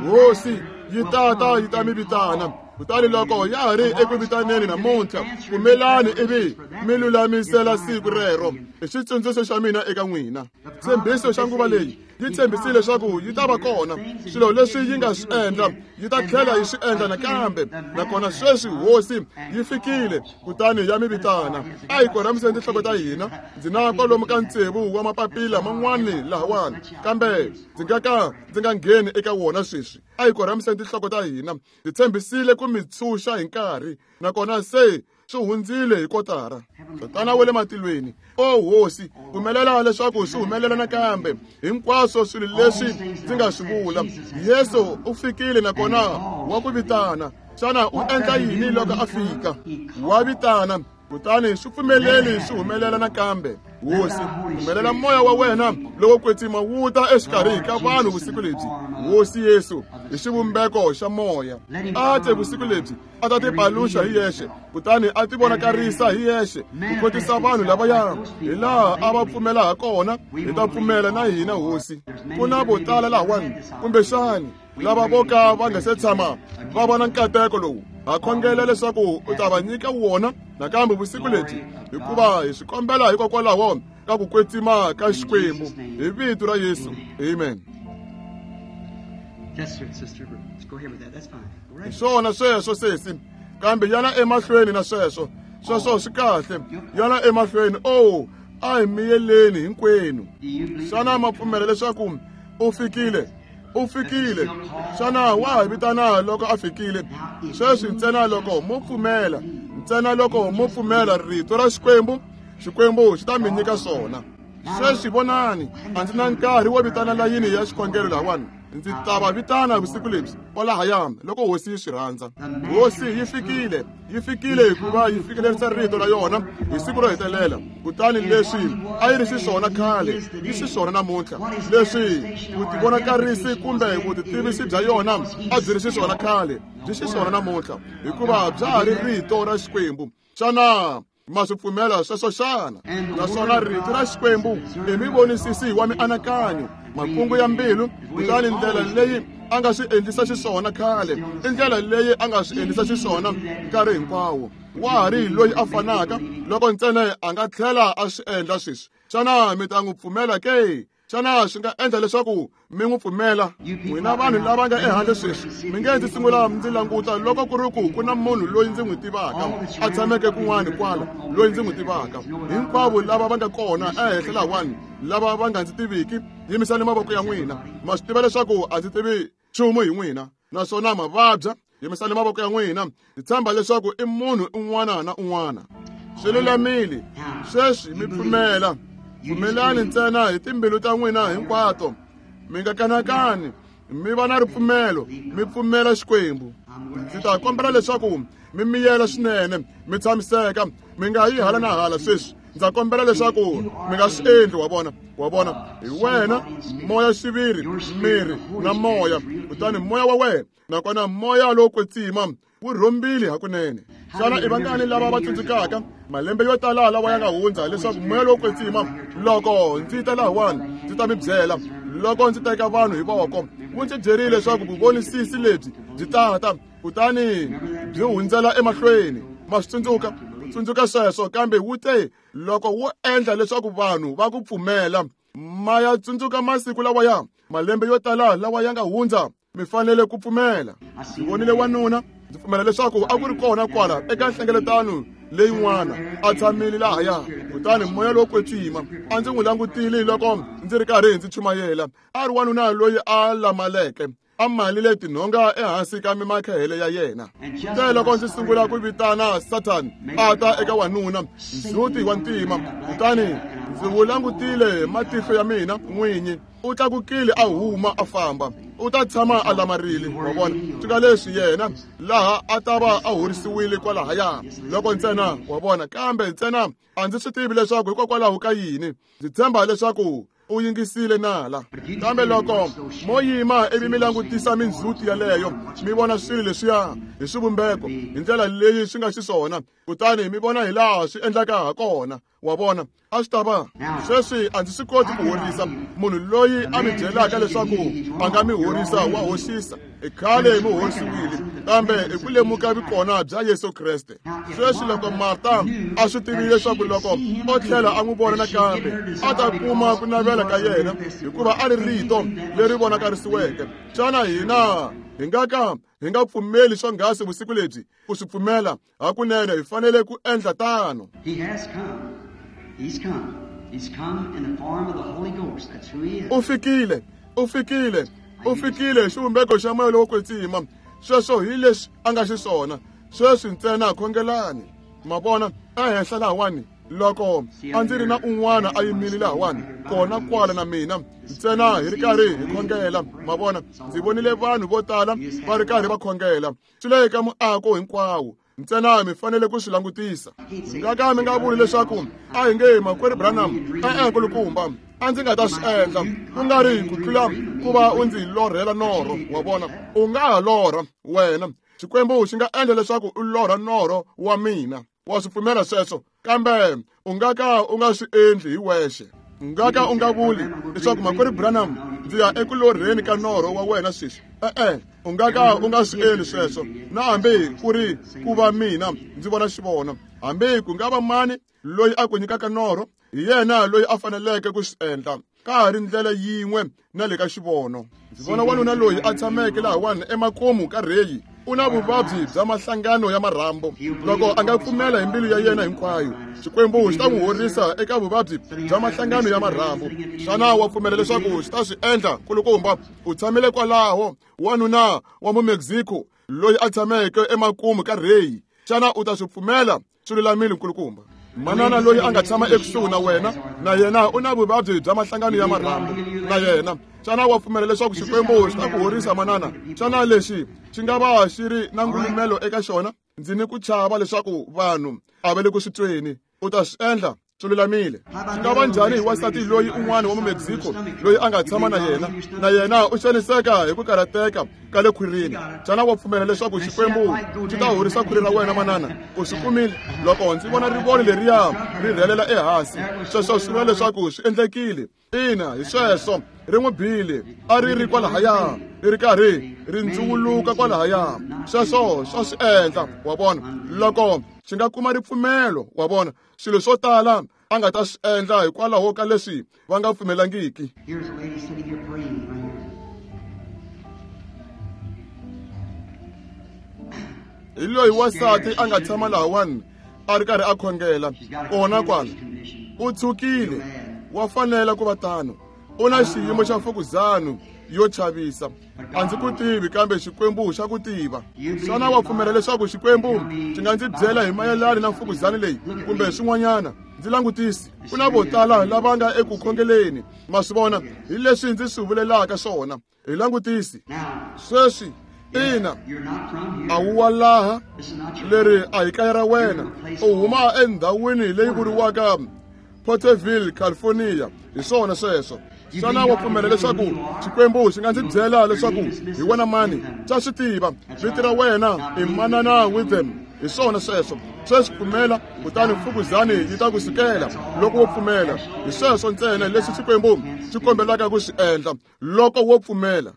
Hosi yi tata yi ta mi vitana, kutani loko ya ha ri eku vitaneni namuntlha, pfumelani ivi mi lulamisela siku rero. I xitsundzuxo xa mina eka n'wina. Tshembiso xa nguva leyi yi tshembisile leswaku yi ta va kona. Swilo leswi yi nga swi endla yi ta tlhela yi swi endla nakambe. Nakona sweswi hosi yi fikile kutani ya mi vitana. A hi korhamiseni tinhloko ta hina. Ndzi na kwalomu ka tsevu wa mapapila man'wani lahawani, kambe ndzi nga ka ndzi nga ngheni eka wona sweswi. A hi korhamiseni tinhloko ta hina. Ndzi tshembisile ku mi tshunxa hi nkarhi, nakona se swi hundzile hi kotara. Tatana wa le matilweni, o hosi, pfumelela leswaku swi humelela nakambe hinkwaswo swilo leswi ndzi nga swi vula. Yesu u fikile nakona wa ku vitana. Xana u endla yini loko a fika? Wa vitana. Kutani swi pfumeleli swi humelela nakambe. Hosi, pfumelela moya wa wena lowo kwetsima wu ta exikarhi ka vanhu vusiku lebyi. Hosi Yesu, hi xivumbeko xa moya, a te vusiku lebyi a ta tipaluxa hi yexe, kutani a tivonakarisa hi yexe ku kotisa vanhu lavaya hi laha a va pfumela ha kona. Hi ta pfumela na hina, hosi. Ku na vo tala lahawani kumbexani lava vo ka va nga se tshama va vona nkateko lowu. Ha khongela leswaku u ta va nyika wona nakambe vusiku lebyi, hikuva hi swi kombela hikokwalaho ka ku kwetsima ka Xikwembu, hi vito ra Yesu, amen. Hi swona sweswo sesi, kambe yana emahlweni na sweswo. Sweswo swi kahle, yana emahlweni. O, a hi miyeleni hinkwenu. Xana ma pfumela leswaku u fikile? U fikile. Xana wa ha vitana loko a fikile? Sweswi ntsena loko mo pfumela, ntsena loko mo pfumela rito ra Xikwembu, Xikwembu xi ta mi nyika swona. Sweswi vonani, a ndzi na nkarhi wo vitana layini ya xikhongelo lahawani. Ndzi ta va vitana vusiku lebyi kwalahaya loko hosi yi swi rhandza. Hosi yi fikile, yi fikile hikuva yi fikelerisa rito ra yona hi siku ro hetelela. Kutani leswi a yi ri xiswona khale, yi xiswona namuntlha. Leswi vutivonakarisi kumbe vutitivisi bya yona a byi ri xiswona khale, byi xiswona namuntlha, hikuva bya ha ri rito ra Xikwembu. Xana ma swi pfumela sweswo xana? Naswona rito ra Xikwembu i mivonisisi wa mianakanyo, makungu ya mbilu. Kutani ndlela leyi a nga swi endlisa xiswona khale i ndlela leyi a nga swi endlisa xiswona nkarhi hinkwawo. Wa ha ri loyi a fanaka loko ntsena a nga tlhela a swi endla sweswi. Xana mi ta n'wi pfumela ke? Xana swi nga endla leswaku mi n'wi pfumela? N'wina vanhu lava nga ehandle sweswi, mi nge ndzi sungula ndzi languta loko ku ri ku ku na munhu loyi ndzi n'wi tivaka a tshameke kun'wana kwala, loyi ndzi n'wi tivaka. Hinkwavo lava va nga kona ehenhla lahawani lava va nga ndzi tiviki, yimisani mavoko ya n'wina. Ma swi tiva leswaku a ndzi tivi nchumu hi n'wina, naswona ma vabya. Yimisani mavoko ya n'wina. Ndzi tshemba leswaku i munhu un'wana na un'wana. Swi lulamile. Sweswi mi pfumela. Pfumelani ntsena hi timbilu ta n'wina hinkwato. Mi nga kanakani. Mi va na ripfumelo, mi pfumela Xikwembu. Ndzi ta kombela leswaku mi miyela swinene, mi tshamiseka, mi nga yi hala na hala sweswi. Ndza kombela leswaku mi nga swi endli. Wa vona, wa vona, hi wena moya xiviri, miri na moya. Kutani moya wa wena, nakona moya lowo kwetsima wu rhombile hakunene. Xana i vangani lava va tsundzukaka malembe yo tala lawa ya nga hundza leswaku moya lowo kwetsima, loko ndzi ta lahawani ndzi ta mi byela, loko ndzi teka vanhu hi voko, wu ndzi byerile leswaku vuvonisisi lebyi byi tata kutani byi hundzela emahlweni. Ma swi tsundzuka? Tsundzuka sweswo. Kambe wu te loko wu endla leswaku vanhu va ku pfumela, ma ya tsundzuka masiku lawaya, malembe yo tala lawa ya nga hundza. Mi fanele ku pfumela. Ndzi vonile wanuna, ndzi pfumela leswaku a ku ri kona kwala eka nhlengeletano leyin'wana, a tshamile lahaya. Kutani moya lowo kwetsima, a ndzi n'wi langutile loko ndzi ri karhi ndzi chumayela. A ri wanuna loyi a lamaleke, a malile tinhonga ehansi ka mimakhele ya yena. Kute loko ndzi sungula ku vitana Satan, a ta eka wanuna, ndzhuti wa ntima. Kutani Ndzi wu langutile hi matihlo ya mina n'winyi. U tlakukile a huma a famba. U ta tshama a lamarile, wa vona. Swi nga leswi yena laha a ta va a horisiwile kwalahaya loko ntsena, wa vona. Kambe ntsena a ndzi swi tivi leswaku hikokwalaho ka yini. Ndzi tshemba leswaku u yingisile nala. Kambe loko mo yima ivi mi langutisa mindzhuti yaleyo, mi vona swilo leswiya hi swivumbeko hi ndlela leyi swi nga xiswona, kutani mi vona hi laha swi endlaka ha kona, wa vona. A swi ta va sweswi a ndzi swi koti ku horisa munhu loyi a mi byelaka leswaku a nga mi horisa wa hoxisa. I khale mi horisiwile, kambe i ku lemuka vukona bya Yesu Kreste. Sweswi loko Marta a swi tivile leswaku loko o tlhela a n'wi vona nakambe a ta kuma ku navela ka yena, hikuva a ri rito leri vonakarisiweke. Xana hina hi nga ka hi nga pfumeli swonghasi vusiku lebyi ku swi pfumela? Hakunene hi fanele ku endla tano. He has come. He's come. He's come in the form of the Holy Ghost. That's who he is. U fikile, u fikile, u fikile hi xivumbeko xa moya lowo kwetsima. Sweswo hi leswi a nga xiswona. Sweswi ntsena khongelani. Ma vona, ehenhla lahawani, loko a ndzi ri na un'wana a yimile lahawani, kona kwala na mina, ntsena hi ri karhi hi khongela. Ma vona, ndzi vonile vanhu vo tala va ri karhi va khongela. Swi le ka muako hinkwawo. Ntsena mi fanele ku swi langutisa. Mi nga ka mi nga vuli leswaku a hi nge makwerhu Branham, e-e nkulukumba, a ndzi nga ta swi endla, ku nga ri ku tlula ku va u ndzi lorhela norho. Wa vona, u nga ha lorha wena. Xikwembu xi nga endla leswaku u lorha norho wa mina. Wa swi pfumela sweswo, kambe u nga ka u nga swi endli hi wexe. U nga ka u nga vuli leswaku makwerhu Branham, ndzi ya eku lorheni ka norho wa wena sweswi. E-e, u nga ka u nga swi endli sweswo, na hambi ku ri ku va mina ndzi vona xivono. Hambi ku nga va mani loyi a ku nyikaka norho, hi yena loyi a faneleke ku swi endla. Ka ha ri ndlela yin'we na le ka xivono. Ndzi vona wanuna loyi a tshameke lahawani emakumu ka rheyi, u na vuvabyi bya mahlangano ya marhambu. Loko a nga pfumela hi mbilu ya yena hinkwayo, Xikwembu xi ta n'wi horisa eka vuvabyi bya mahlangano ya marhambu. Xana wa pfumela leswaku xi ta swi endla, nkulukumba? U tshamile kwalaho, wanuna wa Mumexico loyi a tshameke emakumu ka rheyi. Xana u ta swi pfumela? Swi lulamile, nkulukumba. Manana loyi a nga tshama ekusuhi na wena, na yena u na vuvabyi bya mahlangano ya marhambu, na yena. Xana wa pfumela leswaku Xikwembu xi ta ku horisa, manana? Xana lexi xi nga va xi ri na ngulumelo eka xona? Ndzi ni ku chava leswaku vanhu a va le ku swi tweni. U ta swi endla? Swi lulamile. Swi nga va njhani hi wansati loyi un'wana wa Mumexico loyi a nga tshama na yena? Na yena u xaniseka hi ku karhateka ka le khwirini. Xana wa pfumela leswaku Xikwembu xi ta horisa khwiri ra wena, manana? U swi kumile? Loko ndzi vona rivoni leriya ri rhelela ehansi, sweswo swi vula leswaku swi endlekile. Ina, hi sweswo. Ri n'wi bile, a ri ri kwalahaya, ri ri karhi ri ndzunguluka kwalahaya. Sweswo swa swi endla, wa vona. Loko xi nga kuma ripfumelo, wa vona, swilo swo tala a nga ta swi endla hikwalaho ka leswi va nga pfumelangiki. Here's a lady sitting here praying right here. Hi loyi wansati a nga tshama lahawani a ri karhi a khongela kona kwala. U tshukile, wa fanela ku va tano. U na xiyimo xa mfukuzano yo chavisa. A ndzi ku tivi, kambe Xikwembu xa ku tiva. Xana wa pfumela leswaku Xikwembu xi nga ndzi byela hi mayelana na mfukuzano leyi kumbe swin'wanyana? Ndzi langutisi, ku na vo tala lava nga eku khongeleni. Ma swi vona, hi leswi ndzi swi vulelaka swona. Hi langutisi sweswi. Ina, a wu wa laha, leri a hi kaya ra wena. U huma endhawini leyi vuriwaka Porterville, California. Hi swona sweswo. Xana wa pfumela leswaku Xikwembu xi nga ndzi byela leswaku hi wena mani? Xa swi tiva. Vito ra wena i Manana Withem. Hi swona sweswo. Sweswi pfumela, kutani mfukuzani yi ta ku sukela loko wo pfumela. Hi sweswo ntsena leswi Xikwembu xi kombelaka ku swi endla loko wo pfumela.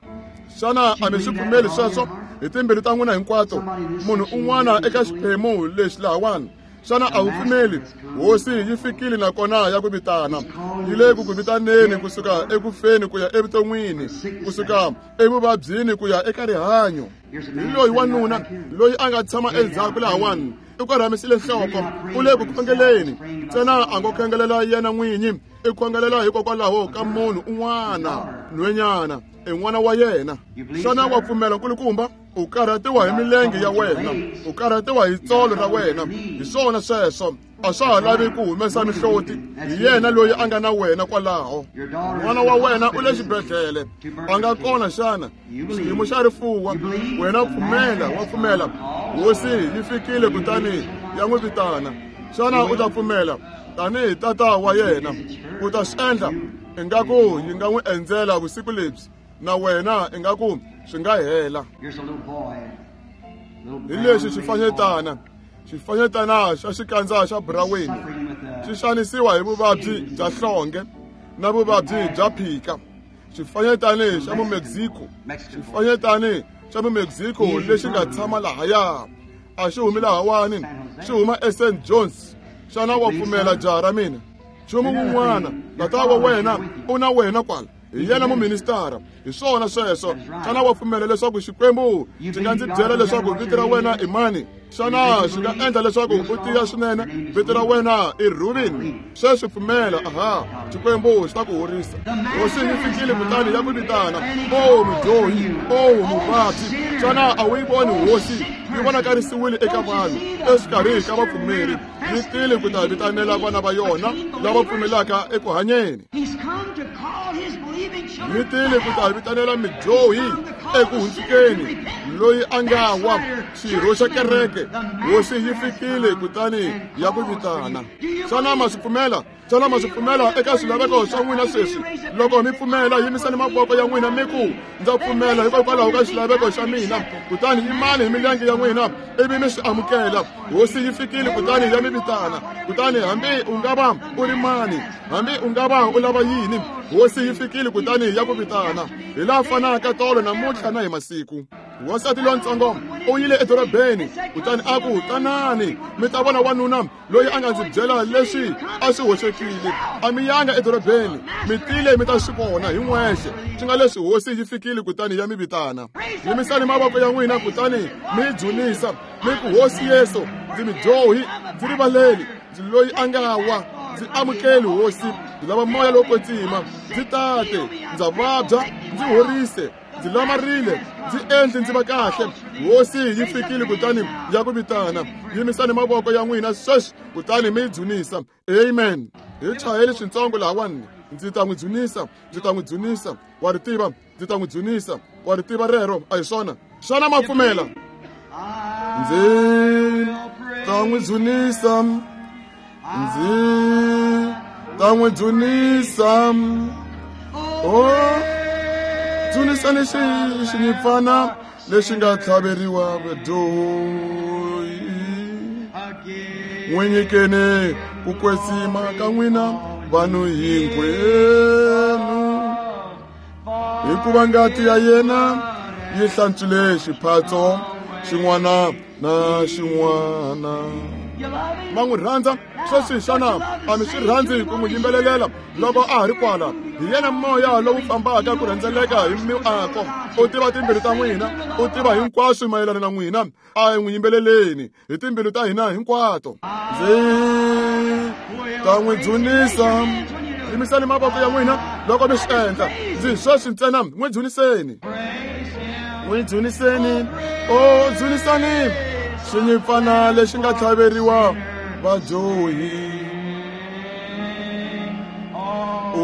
Xana a mi swi pfumeli sweswo hi timbilu ta n'wina hinkwato? Munhu un'wana eka xiphemu lexi lahawani, xana a wu pfumeli? Hosi yi fikile nakona ya ku vitana. Yi le ku ku vitaneni kusuka ekufeni ku ya evuton'wini, kusuka evuvabyini ku ya eka rihanyo. Hi loyi wanuna loyi a nga tshama endzhaku lahawani, u korhamisile nhloko, u le ku khongeleni. Ntsena a ngo khongelela yena n'winyi, i khongelela hikokwalaho ka munhu un'wana, nhwenyana, i n'wana wa yena. Xana wa pfumela, nkulukumba? U karhatiwa hi milenge ya wena, u karhatiwa hi tsolo ra wena. Hi swona sweswo, a swa ha lavi ku humesa mihloti. Hi yena loyi a nga na wena kwalaho. N'wana wa wena u le xibedhlele, a nga kona xana? Xiyimo xa rifuwa. Wena pfumela, wa pfumela. Hosi yi fikile kutani ya n'wi vitana. Xana u ta pfumela tanihi tata wa yena? U ta swi endla? Ingaku yi nga n'wi endzela vusiku lebyi, na wena ingaku swi nga hela. Hi lexi xifanyetana, xifanyetana xa xikandza xa buraweni, xi xanisiwa hi vuvabyi bya hlonge na vuvabyi bya phika. Xifanyetani xa Mumexico, xifanyetani xa Mumexico lexi nga tshama lahaya, a xi humi lahawani, xi huma eSt John's. Xana wa pfumela, jaha ra mina? Nchumu wun'wana, tata wa wena u na wena kwala, hi yena muministara. Hi swona sweswo. Xana wa pfumela leswaku Xikwembu xi nga ndzi byela leswaku vito ra wena i mani? Xana xi nga endla leswaku u tiya swinene? Vito ra wena i Rubin. Sweswi pfumela. Aha, Xikwembu xi ta ku horisa. Hosi yi fikile kutani ya ku vitana. O mudyohi, o muvabyi, xana a wu yi voni hosi yi vonakarisiwile eka vanhu exikarhi ka vapfumeri? Yi tile ku ta vitanela vana va yona lava pfumelaka eku hanyeni. Yi tile ku ta vitanela midyohi eku hundzukeni, loyi a nga wa xirho xa kereke. Hosi yi fikile kutani ya ku vitana. Xana ma swi pfumela? Xana ma swi pfumela eka swilaveko swa n'wina sweswi? Loko mi pfumela, yimisani mavoko ya n'wina mi ku, ndza pfumela hikokwalaho ka xilaveko xa mina. Kutani yimani hi milenge ya n'wina ivi mi swi amukela. Hosi yi fikile kutani ya mi vitana. Kutani hambi u nga va u ri mani, hambi u nga va u lava yini, hosi yi fikile kutani ya ku vitana. Hi laha fanaka tolo, namuntlha na hi masiku. Wansati lontsongo u yile edorobeni kutani a ku, tanani mi ta vona wanuna loyi a nga ndzi byela leswi a swi hoxekile. A mi yanga edorobeni, mi tile mi ta swi vona hi n'wexe. Swi nga leswi hosi yi fikile kutani ya mi vitana. Yimisani mavoko ya n'wina kutani mi yi dzunisa, mi ku, Hosi Yesu, ndzi midyohi, ndzi rivaleli, ndzi loyi a nga wa, ndzi amukeli Hosi, ndzi lava moya lowo kwetsima, ndzi tate, ndza vabya, ndzi horise, ndzi lamarile, ndzi endle ndzi va kahle. Hosi yi fikile kutani ya ku vitana. Yimisani mavoko ya n'wina sweswi kutani mi yi dzunisa. Amen. Hi chayeli swintsongo lahawani. Ndzi ta n'wi dzunisa, ndzi ta n'wi dzunisa. Wa ri tiva, ndzi ta n'wi dzunisa. Wa ri tiva rero, a hi swona? Xana ma pfumela? Ndzi ta n'wi dzunisa, ndzi ta n'wi dzunisa. O dzunisani xinyimpfana lexi nga tlhaveriwa vadyohi. N'wi nyikeni ku kwetsima ka n'wina vanhu hinkwenu, hikuva ngati ya yena yi hlantswile xiphatso xin'wana na xin'wana. Ma n'wi rhandza sweswi? Xana a mi swi rhandzi ku n'wi yimbelelela loko a ha ri kwala? Hi yena moya lowu fambaka ku rhendzeleka hi miako. U tiva timbilu ta n'wina, u tiva hinkwaswo mayelana na n'wina. A hi n'wi yimbeleleni hi timbilu ta hina hinkwato. Ndzi ta n'wi dzunisa. Yimisani mavoko ya n'wina loko mi swi endla. Ndzi sweswi ntsena n'wi dzuniseni, n'wi dzuniseni. O dzunisani xinyimpfana lexi nga tlhaveriwa vadyohi. O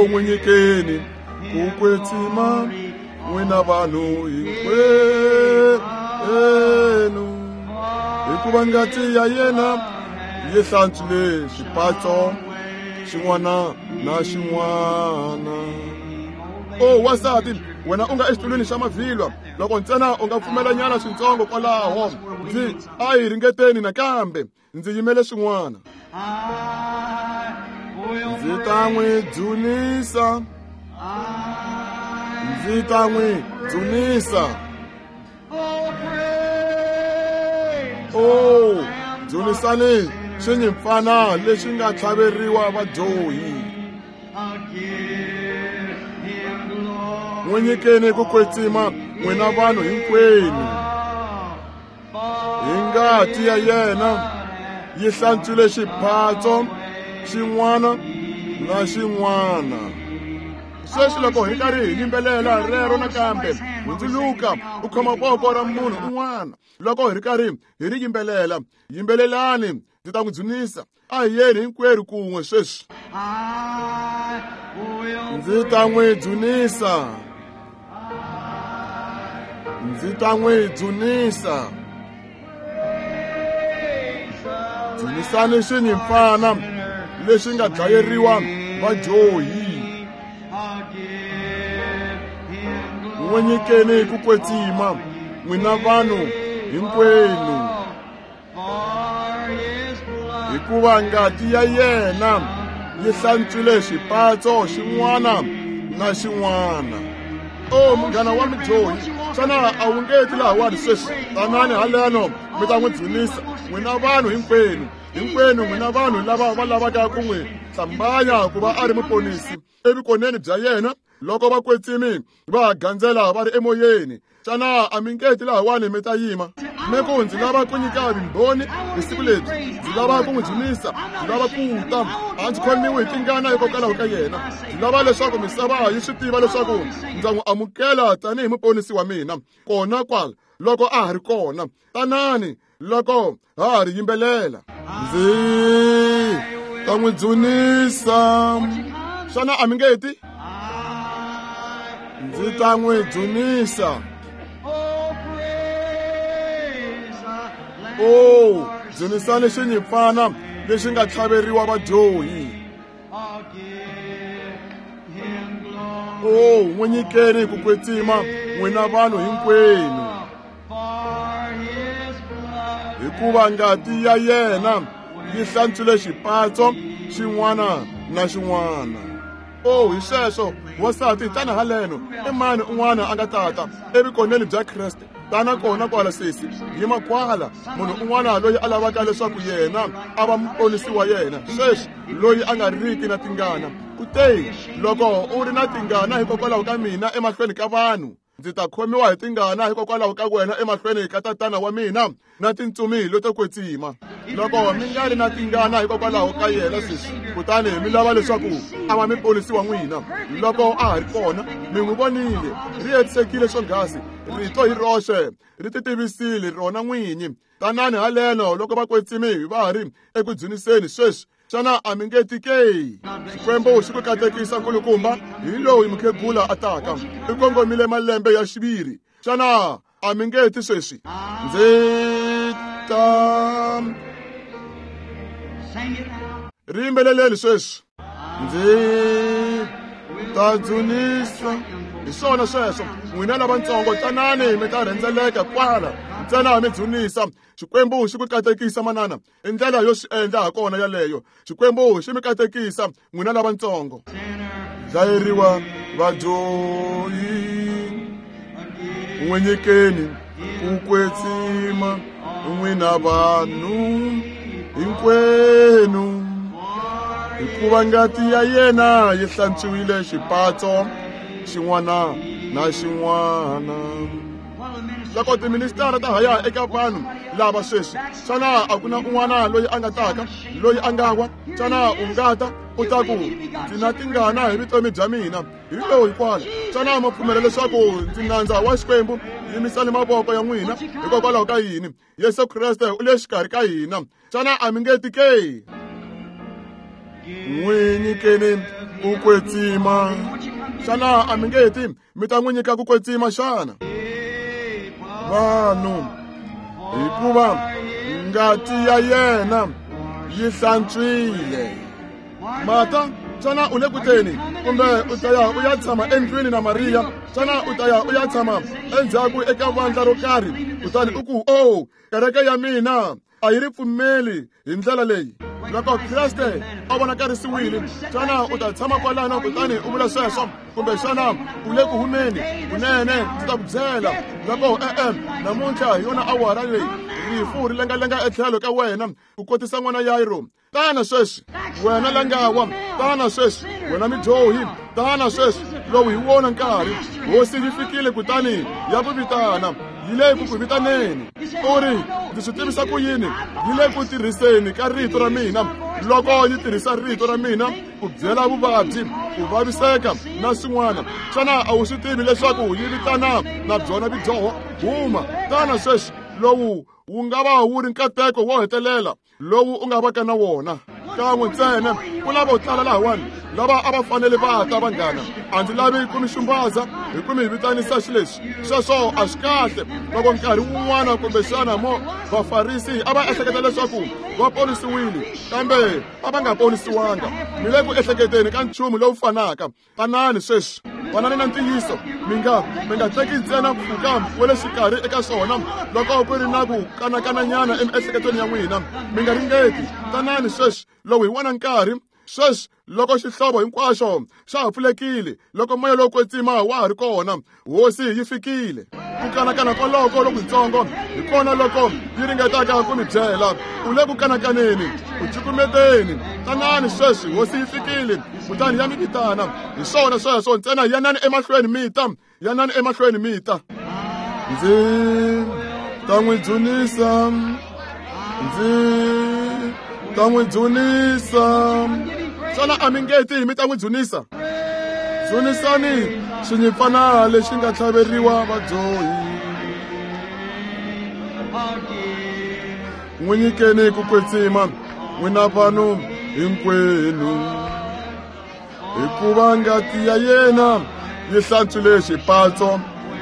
n'wi nyikeni ku kwetsima n'wina vanhu hinkwenu, hikuva ngati ya yena yi hlantswile xipatso xin'wana na xin'wana. O wansati, wena u nga exitulwini xa mavhilwa, loko ntsena u nga pfumelanyana swintsongo kwalaho. Ndzi a hi ringeteni nakambe, ndzi yimele swin'wana. Ndzi ta n'wi dzunisa, ndzi ta n'wi dzunisa. O dzunisani xinyimpfana lexi nga tlhaveriwa vadyohi. N'wi nyikeni ku kwetsima n'wina vanhu hinkwenu. Hi ngati ya yena yi hlantswile xiphatso xin'wana na xin'wana. Sweswi loko hi karhi hi yimbelela rero nakambe, hundzuluka u khoma voko ra munhu un'wana. Loko hi ri karhi hi ri yimbelela, yimbelelani, ndzi ta n'wi dzunisa. A hi yeni hinkwerhu kun'we sweswi. Ndzi ta n'wi dzunisa. Ndzi ta n'wi dzunisa. Dzunisani xinyimpfana lexi nga dlayeriwa vadyohi. N'wi nyikeni ku kwetsima, n'wina vanhu hinkwenu, hikuva ngati ya yena yi hlantswile xipatso xin'wana na xin'wana. O munghana wa midyohi, xana a wu nge ti lahawani sweswi? Tanani haleno mi ta n'wi dzunisa, n'wina vanhu hinkwenu. Hinkwenu n'wina vanhu lava va lavaka ku n'wi hlambanya ku va a ri muponisi evukoneni bya yena, loko vakwetsimi va gandzela va ri emoyeni. Xana a mi nge ti lahawani mi ta yima mi ku, ndzi lava ku nyika vumbhoni hi siku lebyi, ndzi lava ku n'wi dzunisa, ndzi lava ku ta, a ndzi khomiwi hi tingana hikokwalaho ka yena. Ndzi lava leswaku misava yi swi tiva leswaku ndza n'wi amukela tanihi muponisi wa mina. Kona kwala loko a ha ri kona, tanani loko ha ha ri yimbelela. Ndzi ta n'wi dzunisa. Xana a mi nge ti? Ndzi ta n'wi dzunisa. O dzunisani xinyimpfana lexi nga tlhaveriwa vadyohi. O n'wi nyikeni ku kwetsima, n'wina vanhu hinkwenu, hikuva ngati ya yena yi hlantswile xipatso xin'wana na xin'wana. O hi sweswo, wansati, tana haleno. I mani un'wana a nga tata evukoneni bya Kreste? Tana kona kwala sesi, yima kwala. Munhu un'wana loyi a lavaka leswaku yena a va muponisi wa yena sweswi, loyi a nga riki na tingana. U te, loko u ri na tingana hikokwalaho ka mina emahlweni ka vanhu, ndzi ta khomiwa hi tingana hikokwalaho ka wena emahlweni ka tatana wa mina na tintsumi leto kwetsima. Loko mi nga ri na tingana hikokwalaho ka yena sweswi, kutani mi lava leswaku a va muponisi wa n'wina loko a ha ri kona, mi n'wi vonile, ri hetisekile swonghasi, rito hi roxe ri titivisile rona n'winyi. Tanani haleno loko vakwetsimi va ha ri eku dzuniseni sweswi. Xana a mi nge ti ke? Xikwembu xi ku katekisa nkulukumba, hi loyi mukhegula a taka, i kongomile malembe ya xiviri. Xana a mi nge ti sweswi? Ndzi ta ri yimbeleleni sweswi. Ndzi ta dzunisa. Hi swona sweswo, n'wina lavatsongo, tanani mi ta rhendzeleka kwala, ntsena mi dzunisa. Xikwembu xi ku katekisa manana, i ndlela yo swi endla ha kona yaleyo. Xikwembu xi mi katekisa n'wina lavatsongo. Dlayeriwa vadyohi, n'wi nyikeni ku kwetsima, n'wina vanhu hinkwenu, hikuva ngati ya yena yi hlantswiwile xipatso xin'wana na xin'wana. Loko tiministara ta ha ya eka vanhu lava sweswi, xana a ku na un'wana loyi a nga taka, loyi a nga wa? Xana u nga ta u ta ku, ndzi na tingana hi vutomi bya mina, hi loyi kwala? Xana ma pfumela leswaku ndzi nandza wa Xikwembu? Yimisani mavoko ya n'wina. Hikokwalaho ka yini? Yesu Kreste u le xikarhi ka hina. Xana a mi nge ti ke? N'wi nyikeni ku kwetsima. Xana a mi nge ti mi ta n'wi nyika ku kwetsima xana? Vanhu, hikuva ngati ya yena yi hlantswile. Mata, xana u le ku teni? Kumbe u ta ya u ya tshama endlwini na Mariya? Xana u ta ya u ya tshama endzhaku eka vandla ro karhi, kutani u ku, o kereke ya mina a yi ri pfumeli hi ndlela leyi? Loko Kreste a vonakarisiwile, xana u ta tshama kwalano kutani u vula sweswo? Kumbe xana u le ku humeni? Kunene ndzi ta ku byela, loko e-e, namuntlha hi yona awara leyi rifu ri lengalenga etlhelo ka wena ku kotisa n'wana Yairo. Tana sweswi, wena la nga wa, tana sweswi, wena midyohi, tana sweswi. Lowu hi wona nkarhi. Hosi yi fikile kutani ya ku vitana. Yi le ku ku vitaneni. U ri, ndzi swi tivisa ku yini? Yi le ku tirhiseni ka rito ra mina. Loko yi tirhisa rito ra mina ku byela vuvabyi ku vaviseka na swin'wana xana a wu swi tivi leswaku yi vitana na byona vudyoho huma tana sweswi lowu wu nga va wu ri nkateko wo hetelela lowu u nga vaka na wona kan'we ntsena ku lava u tala lahawani lava a va fanele va ta vanghana a ndzi lavi ku mi xumbaza hi ku mi vitanisa xileswi sweswo a swi kahle loko nkarhi wun'wana kumbexana mo vafarisi a va ehleketa leswaku va ponisiwile kambe a va nga ponisiwanga mi le ku ehleketeni ka nchumu lowu fanaka Tanani sweswi, vanani na ntiyiso, mi nga mi nga teki ntsena mpfhuka wa le xikarhi eka swona loko ku ri na ku kanakananyana emiehleketweni ya n'wina. Mi nga ringeti. Tanani sweswi, lowu hi wona nkarhi. Sweswi loko xihlovo hinkwaxo xa ha pfulekile, loko moya lowo kwetsima wa ha ri kona, hosi yi fikile. Ku kanakana koloko lokutsongo hi kona loko yi ringetaka ku mi byela u le ku kanakaneni u cukumeteni tanani sweswi hosi yi fikile kutani ya mi vitana hi swona sweswo ntsena yanani emahlweni mi ta yanani emahlweni mi ta ndzi ta n'wi dzunisa ndzi ta n'wi dzunisa xana a mi nge ti mi ta n'wi dzunisa dzunisani xinyimpfana lexi nga tlhaveriwa vadyohi n'wi nyikeni ku kwetsima n'wina vanhu hinkwenu hikuva ngati ya yena yi hlantswile xipatso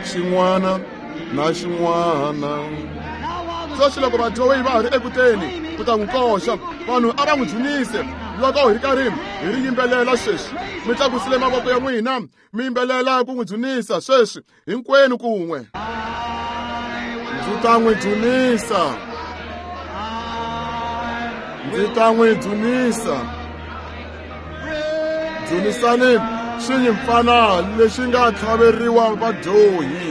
xin'wana na xin'wana sweswi loko vadyohi va ha ri ekuteni ku ta n'wi koxa vanhu a va n'wi dzunise loko hi ri karhi hi ri yimbelela sweswi mi tlakusile mavoko ya n'wina mi yimbelela ku n'wi dzunisa sweswi hinkwenu kun'we ndzi ta n'wi dzunisa ndzi ta n'wi dzunisa dzunisani xinyimpfana lexi nga tlhaveriwa vadyohi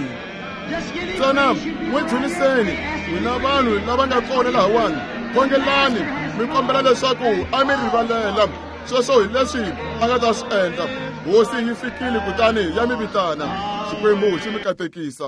ntsena n'wi dzuniseni n'wina vanhu lava nga kona lahawani khongelani mi kombela leswaku a mi rivalela sweswo hi leswi a nga ta swi endla hosi yi fikile kutani ya mi vitana xikwembu xi mi katekisa.